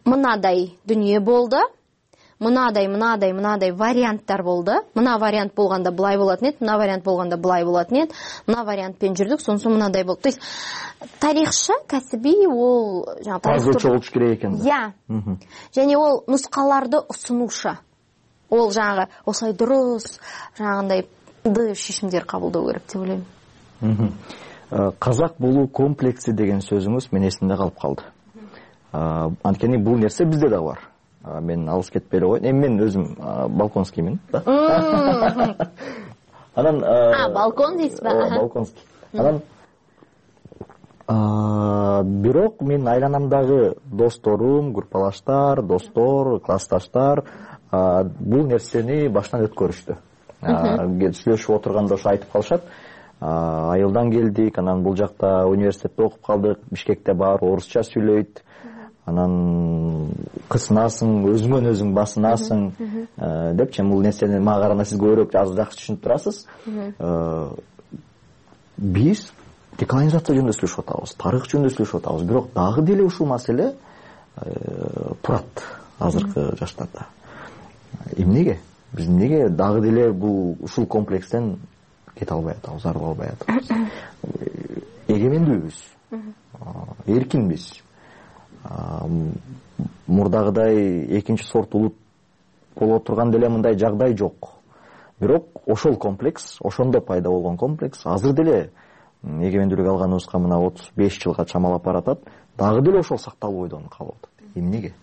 мынадай дүние болду. Мынадай, мынадай, мынадай варианттар болду. Мына вариант болгондо булай болотун эт, мына вариант болгондо булай болотун эт. Мына вариантпен жүрдүк, сонсу мынадай болду. То есть тарихчы касыбий ол жаңа тазгычы болуш керек экен. Я. Және ол нускаларды усунушу. Ол жаңа осай дурус, жаңагындай ды шешимдер кабылдоо керек деп ойлойм. Казак болуу комплекси деген сөзүңүз мен эсимде калып калды. Анткени бул нерсе бизде да бар. Мен алыс кетпей эле коеюн. Эми мен өзүм балконскиймин да. Анан А, балкон дейсизби? Балконский. Анан бирок мен айланамдагы досторум, группалаштар, достор, классташтар бул нерсени баштан өткөрүштү. Сүйлөшүп отурганда ошо айтып калышат. Айылдан келдик, анан бул жакта университетте окуп калдык, Бишкекте бар, орусча сүйлөйт. Анан кысынасың, өзүңөн өзүң басынасың депчи, бул нерсени мага караганда сиз көбүрөөк аз жакшы түшүнүп турасыз. Биз деколонизация жөнүндө сүйлөшүп атабыз, тарых жөнүндө сүйлөшүп атабыз, бирок дагы деле ушул маселе турат азыркы жаштарда. Эмнеге? Биз эмнеге дагы деле бул ушул комплекстен кете албай атабыз, арыла албай атабыз? Эгемендүүбүз, эркинбиз. Мурдагыдай экинчи сорт улут боло турган деле мындай жагдай жок. Бирок ошол комплекс, ошондо пайда болгон комплекс азыр деле эгемендүүлүк алганыбызга мына отуз беш жылга чамалап баратат, дагы деле ошол сакталып бойдон калып атат. Эмнеге?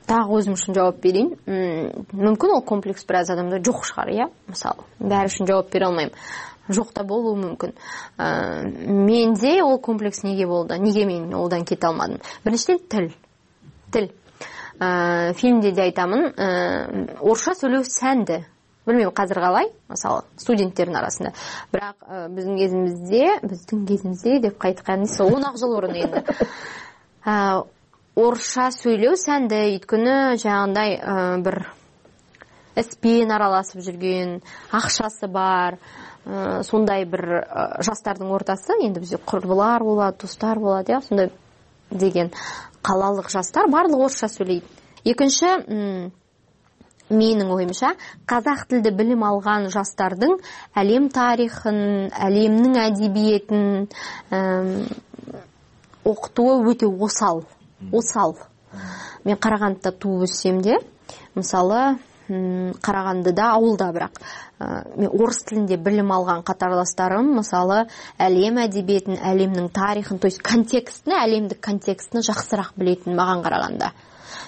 Дагы өзүм үчүн жооп берейин. Мүмкүн ол комплекс бир аз адамда жок шыгар, э? Мисалы, баары үчүн жооп бере алмайм. Жок да болуу мүмкүн. Менде ол комплекс неге болду? Неге мен олдан кете алмадым? Биринчиден тил. Тил. Фильмде де айтамын, орусча сүйлөө сәнді. Билмейм казыр калай, мисалы, студенттердин арасында. Бирок биздин кезимизде, биздин кезимизде деп кайткан сол он ак жыл мурун энди. Орусча сүйлөө сәнді, өйткөнү жагындай бир эспен аралашып жүргөн, акчасы бар, сондай бир жастардын ортасы, энди бизде курбулар болот, достор болот, э, сондай деген калалык жастар барлыгы орусча сүйлөйт. Экинчи, менин оюмча, казак тилде билим алган жастардын әлем тарихын, әлемнин адебиетин окутуу өтө осал. Осал. Мен Карагандыда тууп өссөм де, мисалы, Карагандыда ауылда бирок мен орус тилинде билим алган катарлаштарым, мисалы, әлем адебиетин, әлемнин тарихын, то есть контекстин, әлемдик контекстин жакшыраак билетин мага караганда.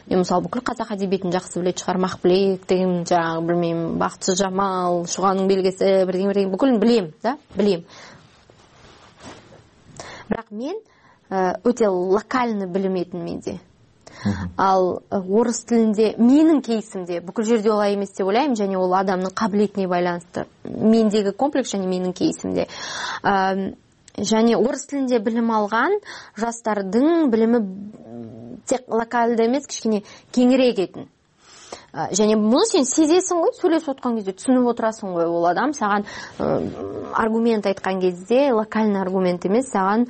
Мен мисалы бүкүл казак адебиетин жакшы билет чыгар, Махбилек деген, жаңы билмейм, Бактчы Жамал, Шуганын белгиси, бирдеме-бирдеме бүкүлүн билем, да, билем. Бирок мен өтө локальный билиметин менде. Ал орус тилинде менин кейсимде бүкүл жерде олай эмес деп ойлойм, және ол адамдын кабилетине байланыштуу. Мендеги комплекс және менин кейсимде. Және орус тилинде билим алган жастардын билими тек локалды эмес, кичине кеңирээк кетин. Және муну сен сезесиң ғой, сүйлөшүп аткан кезде түшүнүп отурасың ғой, ол адам саган аргумент айткан кезде локальный аргумент эмес, саган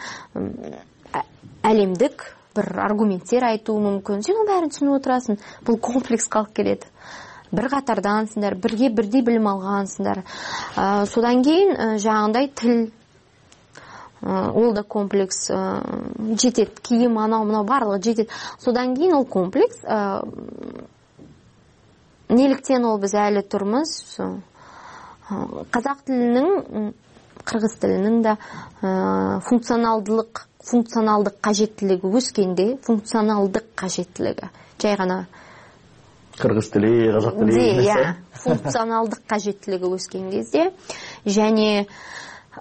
әлемдик бир аргументтер айтуу мүмкүн. Сен баарын түшүнүп отурасың. Бул комплекс калып келет. Бир катардансыңдар, бирге бирдей билим алгансыңдар. Содан кийин жагындай тил, ол да комплекс жетет. Кийим, анау мынау барлыгы жетет. Содан кийин ол комплекс неліктен ол біз әлі тұрмыз, казак тилинин кыргыз тилинин да функционалдылык функционалдык кажеттилиги өскенде функционалдык кажеттилиги жай гана кыргыз тили казак тили эмес функционалдык кажеттилиги өскөн кезде және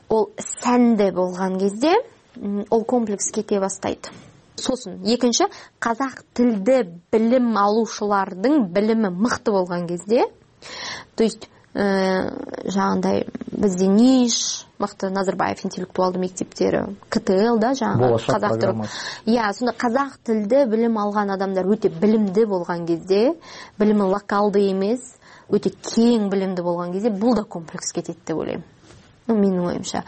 ол сәнде болгон кезде ол комплекс кете баштайт. Сосын экинчи казак тилде билим алуучулардын билими мыкты болгон кезде, то есть жаңандай бизде НИШ мыкты Назарбаев интеллектуалдуу мектептери, КТЛ да жаңы казак тил. Я, сонда казак тилде билим алган адамдар өтө билимдүү болгон кезде, билими локалдуу эмес, өтө кең билимдүү болгон кезде бул да комплекс кетет деп ойлойм. Ну, менин оюмча.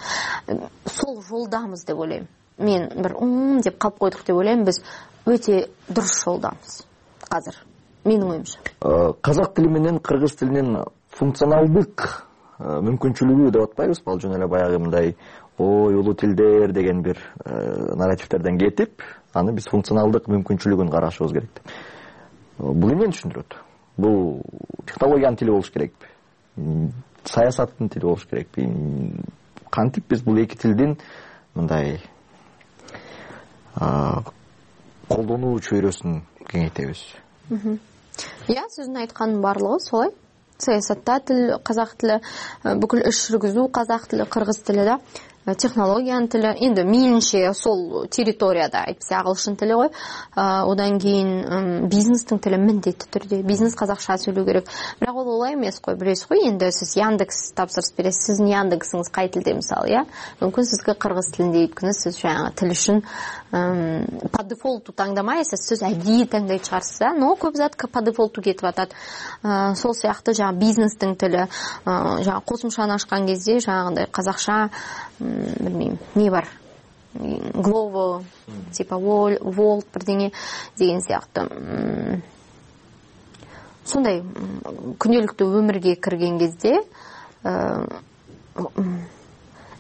Сол жолдамыз деп ойлойм. Мен бир ум деп калып койдук деп ойлойм, биз өтө дурус жолдамыз азыр. Менин оюмча. Казак тили менен кыргыз тилинин функционалдык мүмкүнчүлүгү деп атпайбызбы? Ал жөн эле баягы мындай ой улуу тилдер деген бир нарративтерден кетип, аны биз функционалдык мүмкүнчүлүгүн карашыбыз керек деп. Бул эмнени түшүндүрөт? Бул технологиянын тили болуш керекпи? Саясаттын тили болуш керекпи? Кантип биз бул эки тилдин мындай колдонуу чөйрөсүн кеңейтебиз? Я, сиздин айткандын баардыгы солай. Саясатта тил, казак тили, бүкүл иш жүргүзүү казак тили, кыргыз тили да, технологиянын тили, энди мейлинче сол территорияда айтпаса агылшын тили ғой. Одан кийин бизнестин тили міндетті түрдө. Бизнес казакча сүйлөө керек. Бирок ол олай эмес кой, билесиз го, энди сиз Яндекс тапсырыс бересиз, сиздин Яндексиңиз кай тилде мисалы, я? Мүмкүн сизге кыргыз тилинде өйткөнү сиз жаңа тил үчүн по дефолту таңдамайсыз, сиз адийи таңдай чыгарсыз, но көп зат по дефолту кетип атат. Сол сыяктуу жаңа бизнестин тили, жаңа косумчаны ачкан кезде жаңагындай казакча билмейм, не бар? Glovo, типа Volt бирдеңе деген сыяктуу. Сондай күнөлүктүү өмүргө кирген кезде,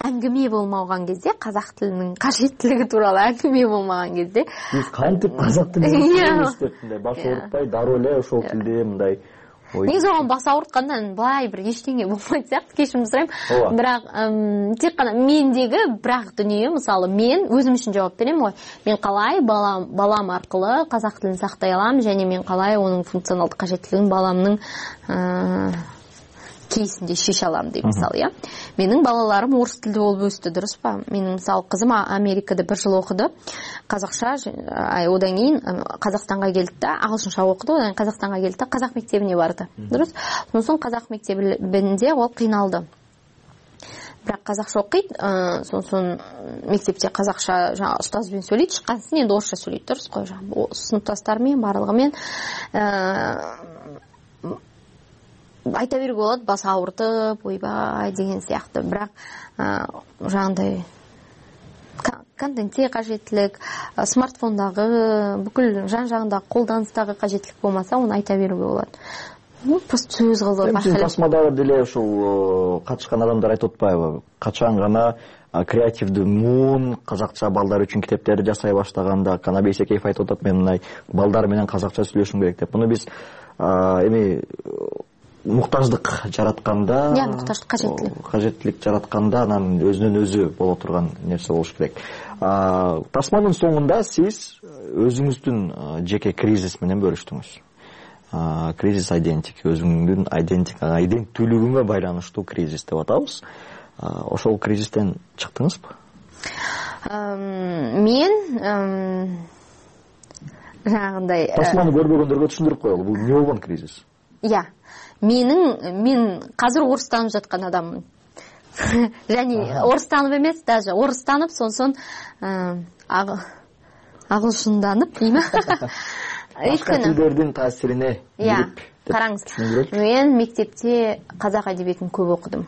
әңгіме болмаған кезде, казак тилинин кажеттилиги тууралуу әңгіме болмаған кезде, биз кантип казак тилин өстөтүндөй баш оорутпай, дароо эле ошол тилде мындай негизи оған бас ауыртқандан былай бір ештеңе болмайды сияқты, кешірім сұраймын. Бірақ тек қана мендегі бірақ дүние, мысалы мен өзім үшін жауап беремін ғой. Мен қалай балам, балам арқылы қазақ тілін сақтай аламын, және мен қалай оның функционалдық қажеттілігін баламның кейсінде шеше аламын деп мысалы, я. Менің балаларым орыс тілді болып өсті, дұрыс па? Менің мысалы қызым Америкада бір жыл оқыды, қазақша, одан кейін Қазақстанға келді да, ағылшынша оқыды, одан Қазақстанға келді да, қазақ мектебіне барды, дұрыс? Сосын қазақ мектебінде ол қиналды. Бірақ қазақша оқиды, сосын мектепте қазақша жаңа ұстазбен сөйлейді, шыққансын енді орысша сөйлейді, дұрыс қой, жаңа сыныптастарымен, барлығымен айта беруге болады, бас ауыртып, ойбай деген сияқты. Бірақ жаңағындай контентте қажеттілік, смартфондағы, бүкіл жан-жағындағы қолданыстағы қажеттілік болмаса, оны айта беруге болады. Ну, просто сөз қылдырып. Сіз тасмадағы деле ошол катышкан адамдар айтып атпайбы? Качан гана креативдүү муун казакча балдар үчүн китептерди жасай баштаганда, Канабек Бейсекеев айтып атат, мен мындай балдар менен казакча сүйлөшүм керек деп. Муну биз эми муктаждык жаратканда, я муктаждык кажеттилик. Кажеттилик жаратканда анан өзүнөн өзү боло турган нерсе болуш керек. Тасманын соңунда сиз өзүңүздүн жеке кризис менен бөлүштүңүз. Кризис айдентик, өзүңдүн айдентикага, айденттүүлүгүңө байланыштуу кризис деп атабыз. Ошол кризистен чыктыңызбы? Мен жаңагындай Тасманы көрбөгөндөргө түшүндүрүп коелу, бул эмне болгон кризис? Я. Менің, мен қазір орыстанып жатқан адаммын. Және орыстанып емес, даже орыстанып, сонсон ағылшынданып, деймі? Башка тілдердің таасирине кирип. Қараңыз, мен мектепте қазақ әдебиетін көп оқыдым.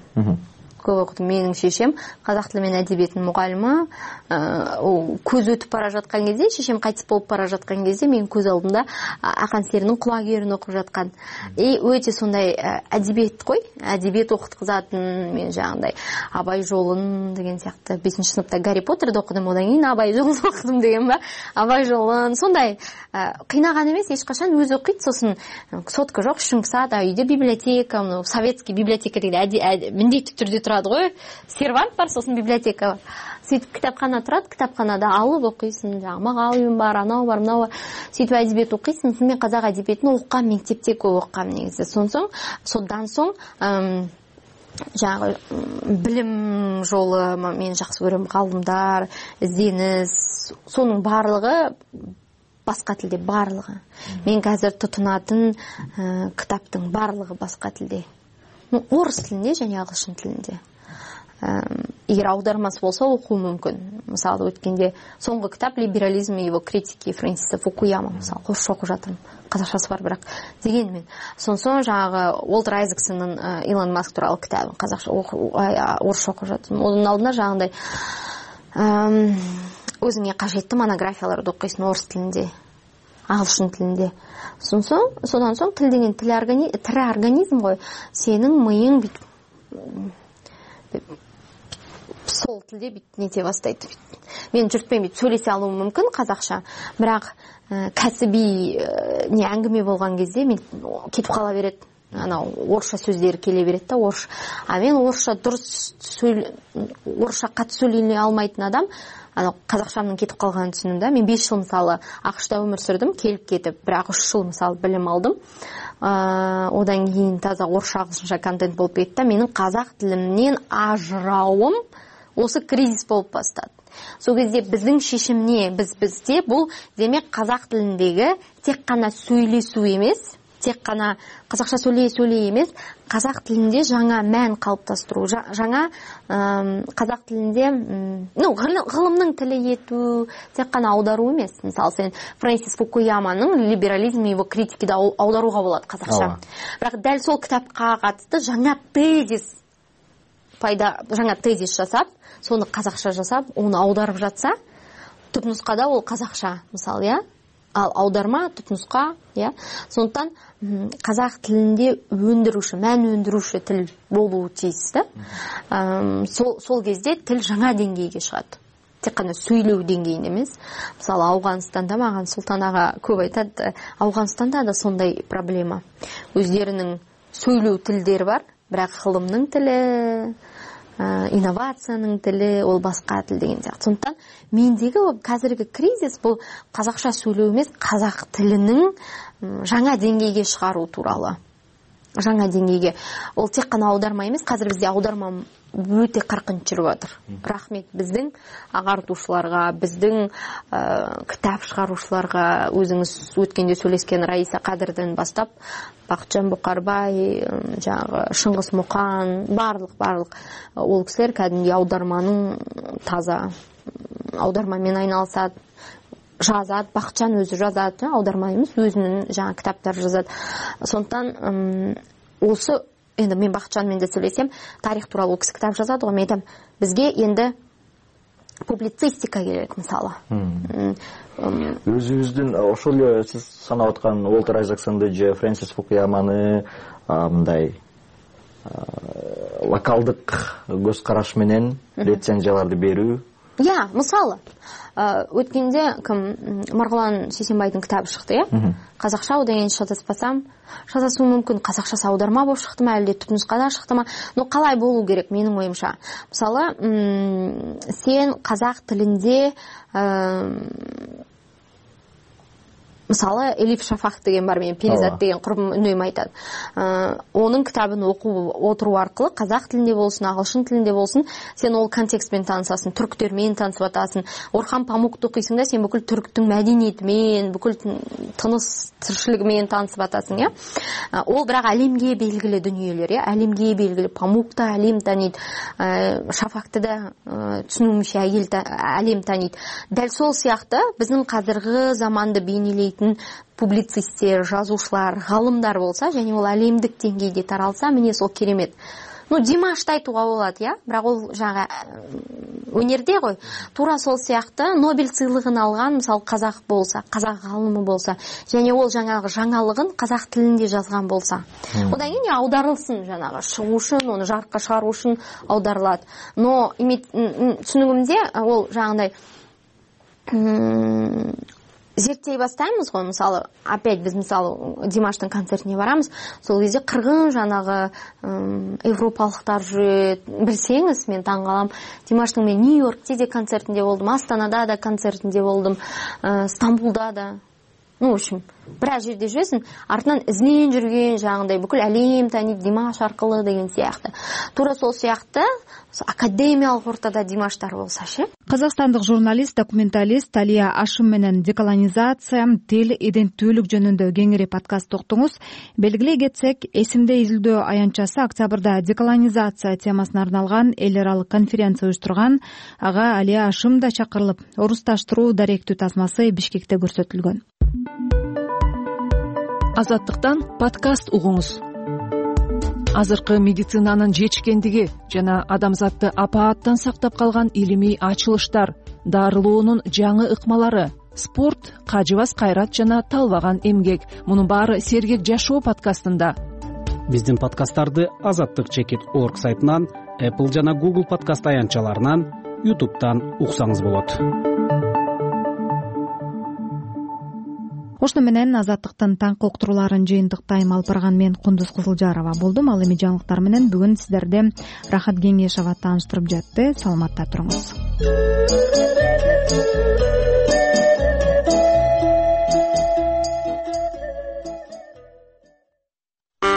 көп окудум. Менин шешем казак тили менен әдебиетинин мугалими. Көз өтүп бара жаткан кезде, шешем кайтып болуп бара жаткан кезде менин көз алдымда Акан Серинин Кулагерин окуп жаткан. И өтө сондай әдебиет кой, әдебиет окуткузатын. Мен жагындай Абай жолун деген сыяктуу бешинчи сыныпта Гарри Поттерди окудум, одан кийин Абай жолун окудум деген ба. Абай жолун сондай кыйнаган эмес, эч качан өзү окуйт. Сосын сотка жок, шыңсат, үйдө библиотека, советский библиотека деген миндеттүү түрдө турат го. Сервант бар, сосын библиотека бар. Сөйтүп китапкана турат, китапканада алып окуйсуң, жана магалым бар, анау бар, мынау бар. Сөйтүп әдебиет окуйсуң. Мен казак әдебиетин окугам, мектепте көп окугам негизи. Сонсоң, содан соң жаңағы билим жолу мен жакшы көрөм. Галымдар, издениз, сонун баардыгы башка тилде, баардыгы. Мен азыр тутунатын китаптын баардыгы башка тилде. Орус тилинде жана агылшын тилинде. Эгер аудармасы болсо окуу мүмкүн. Мисалы өткенде соңку китап «Либерализм и его критики» Фрэнсиса Фукуяма, мисалы, орусча окуп жатырмын. Казакчасы бар бирок. Дегенмен, сонсон жагы Уолтер Айзексонун Илон Маск тууралуу китабын казакча орусча окуп жатырмын. Онун алдында жагындай өзүңө кажеттүү монографияларды окуйсуң орус тилинде, агылшын тилинде. Сонсон, содан соң тил деген тил организм гой. Сенин мыйың бүт сол тилде бүт нете баштайт. Мен журтпен бүт сөйлесе алуум мүмкүн казакча, бирок кәсиби не әңгиме болгон кезде мен кетип кала берет. Анау орусча сөздөр келе берет да, орус. А мен орусча дурус сөйлөй, орусча кат сөйлөй алмайтын адам, анау казакчамдын кетип калганын түшүндүм да. Мен беш жыл мисалы АКШта өмүр сүрдүм, келип кетип, бирок үч жыл мисалы билим алдым. Одан кийин таза орусча агылшынча контент болуп кетти да. Менин казак тилимден ажырауым осы кризис болуп баштады. Сол кезде биздин шешим не? Биз бизде бул демек казак тилиндеги тек кана сөйлесүү эмес, тек кана казакча сөйлөй сөйлөй эмес, казак тилинде жаңа мән калыптастыруу, жаңа казак тилинде, ну, гылымдын тили этүү, тек кана аударуу эмес. Мисалы, сен Фрэнсис Фукуяманын «Либерализм и его критики» да аударууга болот казакча. Бирок дал сол китапка катысты жаңа тезис пайда, жаңа тезис жасап, соны казакча жасап, оны аударып жатса, түпнускада ол казакча, мисалы, я. Ал аударма түпнуска, я. Сондықтан казак тилинде өндүрүүчү, мән өндүрүүчү тил болуу тийиз да. Сол сол кезде тил жаңа деңгейге чыгат. Тек кана сөйлөө деңгейинде эмес. Мисалы, Ауганстанда маган Султан ага көп айтат, Ауганстанда да сондай проблема. Өздөрүнүн сөйлөө тилдери бар, бирок гылымдын тили, инновациянын тили, ол башка тил деген сыяктуу. Сондықтан мендеги қазіргі кризис бул казакча сөйлөө эмес, казак тилинин жаңа деңгейге чыгаруу тууралуу. Жаңа деңгейге. Ол тек кана аударма эмес, қазір бизде аударма өтө каркынч жүрүп атыр. Рахмет биздин агартуучуларга, биздин китап чыгаруучуларга, өзүңүз өткөндө сөйлөшкөн Раиса Кадырдан баштап, Бакытжан Букарбай, жагы Шыңгыс Мукан, барлык барлык ол кишилер кәдимги аударманын таза аудармамен айналысат, жазат, Бакытжан өзү жазат, аударма эмес, өзүнүн жаңа китаптар жазат. Сондықтан осы енді мен Бакытжанмен де сөйлесем, тарих тууралуу киши китап жазат го, мен айтам, бизге енді публицистика керек, мисалы. Өзүбүздүн ошол эле сиз санап аткан Уолтер Айзексонду же Фрэнсис Фукуяманы мындай локалдык көз караш менен рецензияларды берүү. Я, мисалы, өткенде ким Маргулан Сейсенбайдын китабы чыкты, я? Казакча, одан кийин шатаспасам, шатасуу мүмкүн, казакчасы аударма болуп чыктымы, әлде түпнускада чыктымы? Но калай болуу керек менин оюмча? Мисалы, сен казак тилинде мисалы Элиф Шафак деген бар, мен Перизат деген курбум үнөйүм айтат. Онун китабын окуп отуруу аркылуу казак тилинде болсун, агылшын тилинде болсун, сен ол контекст менен таанысасың, түрктөр менен таанысып атасың. Орхан Памукту окуйсуң да, сен бүкүл түрктүн мәдениети менен, бүкүл тыныс тирчилиги менен таанысып атасың, я. Ол бирок алемге белгилүү дүнүйөлөр, я. Алемге белгилүү. Памукта алем тааныйт, Шафакты да түшүнүмчө алем тааныйт. Дал сол сыяктуу биздин казыркы заманды бейнелейтин публицисттер, жазуучулар, галымдар болса, және ол әлемдік деңгейде таралса, міне сол керемет. ну Димашты айтууга болот, э бирок ол жанагы өнерде ғой. Туура сол сыяктуу Нобель сыйлыгын алган мисалы казак болса, казак галымы болса, және ол жаңагы жаңалыгын казак тилинде жазган болса, одан кийин аударылсын, жанагы чыгуу үчүн, аны жарыкка чыгаруу үчүн аударылат. Но түшүнүгүмдө ол жаңагындай зерттей баштайбыз го. Мисалы, опять биз мисалы Димаштын концертине барамыз. Сол кезде кыргын жанагы европалыктар жүрөт. Билсеңиз, мен таң калам. Димаштын мен Нью-Йоркте де концертинде болдум, Астанада да концертинде болдум, Стамбулда да. Ну, в общем, бир аз жерде жүрөсүң, артынан изинен жүргөн жаңагындай бүкүл әлем тааныйт Димаш аркылуу деген сыяктуу. Туура сол сыяктуу академиялык ортада Димаштар болсачы. Казакстандык журналист, документалист Талия Ашым менен деколонизация, тил, иденттүүлүк жөнүндө кеңири подкаст уктуңуз. Белгилей кетсек, эсимде изилдөө аянтчасы октябрда деколонизация темасына арналган эл аралык конференция уюштурган. Ага Алия Ашым да чакырылып, орусташтыруу даректүү тасмасы Бишкекте көрсөтүлгөн. Азаттыктан подкаст угуңуз. Азыркы медицинанын жетишкендиги жана адамзатты апааттан сактап калган илимий ачылыштар, дарылоонун жаңы ыкмалары, спорт, кажыбас кайрат жана талбаган эмгек. Мунун баары Сергек жашоо подкастында. Биздин подкасттарды азаттык чекит орг сайтынан, Apple жана Google подкаст аянтчаларынан, YouTube'дан уксаңыз болот. Ошону менен Азаттыктын таңкы уктурууларын жыйынтыктайм. Алып барган мен Кундуз Кызылжарова болдум. Ал эми жаңылыктар менен бүгүн сиздерди Рахат Кеңешова тааныштырып жатты. Саламатта туруңуз.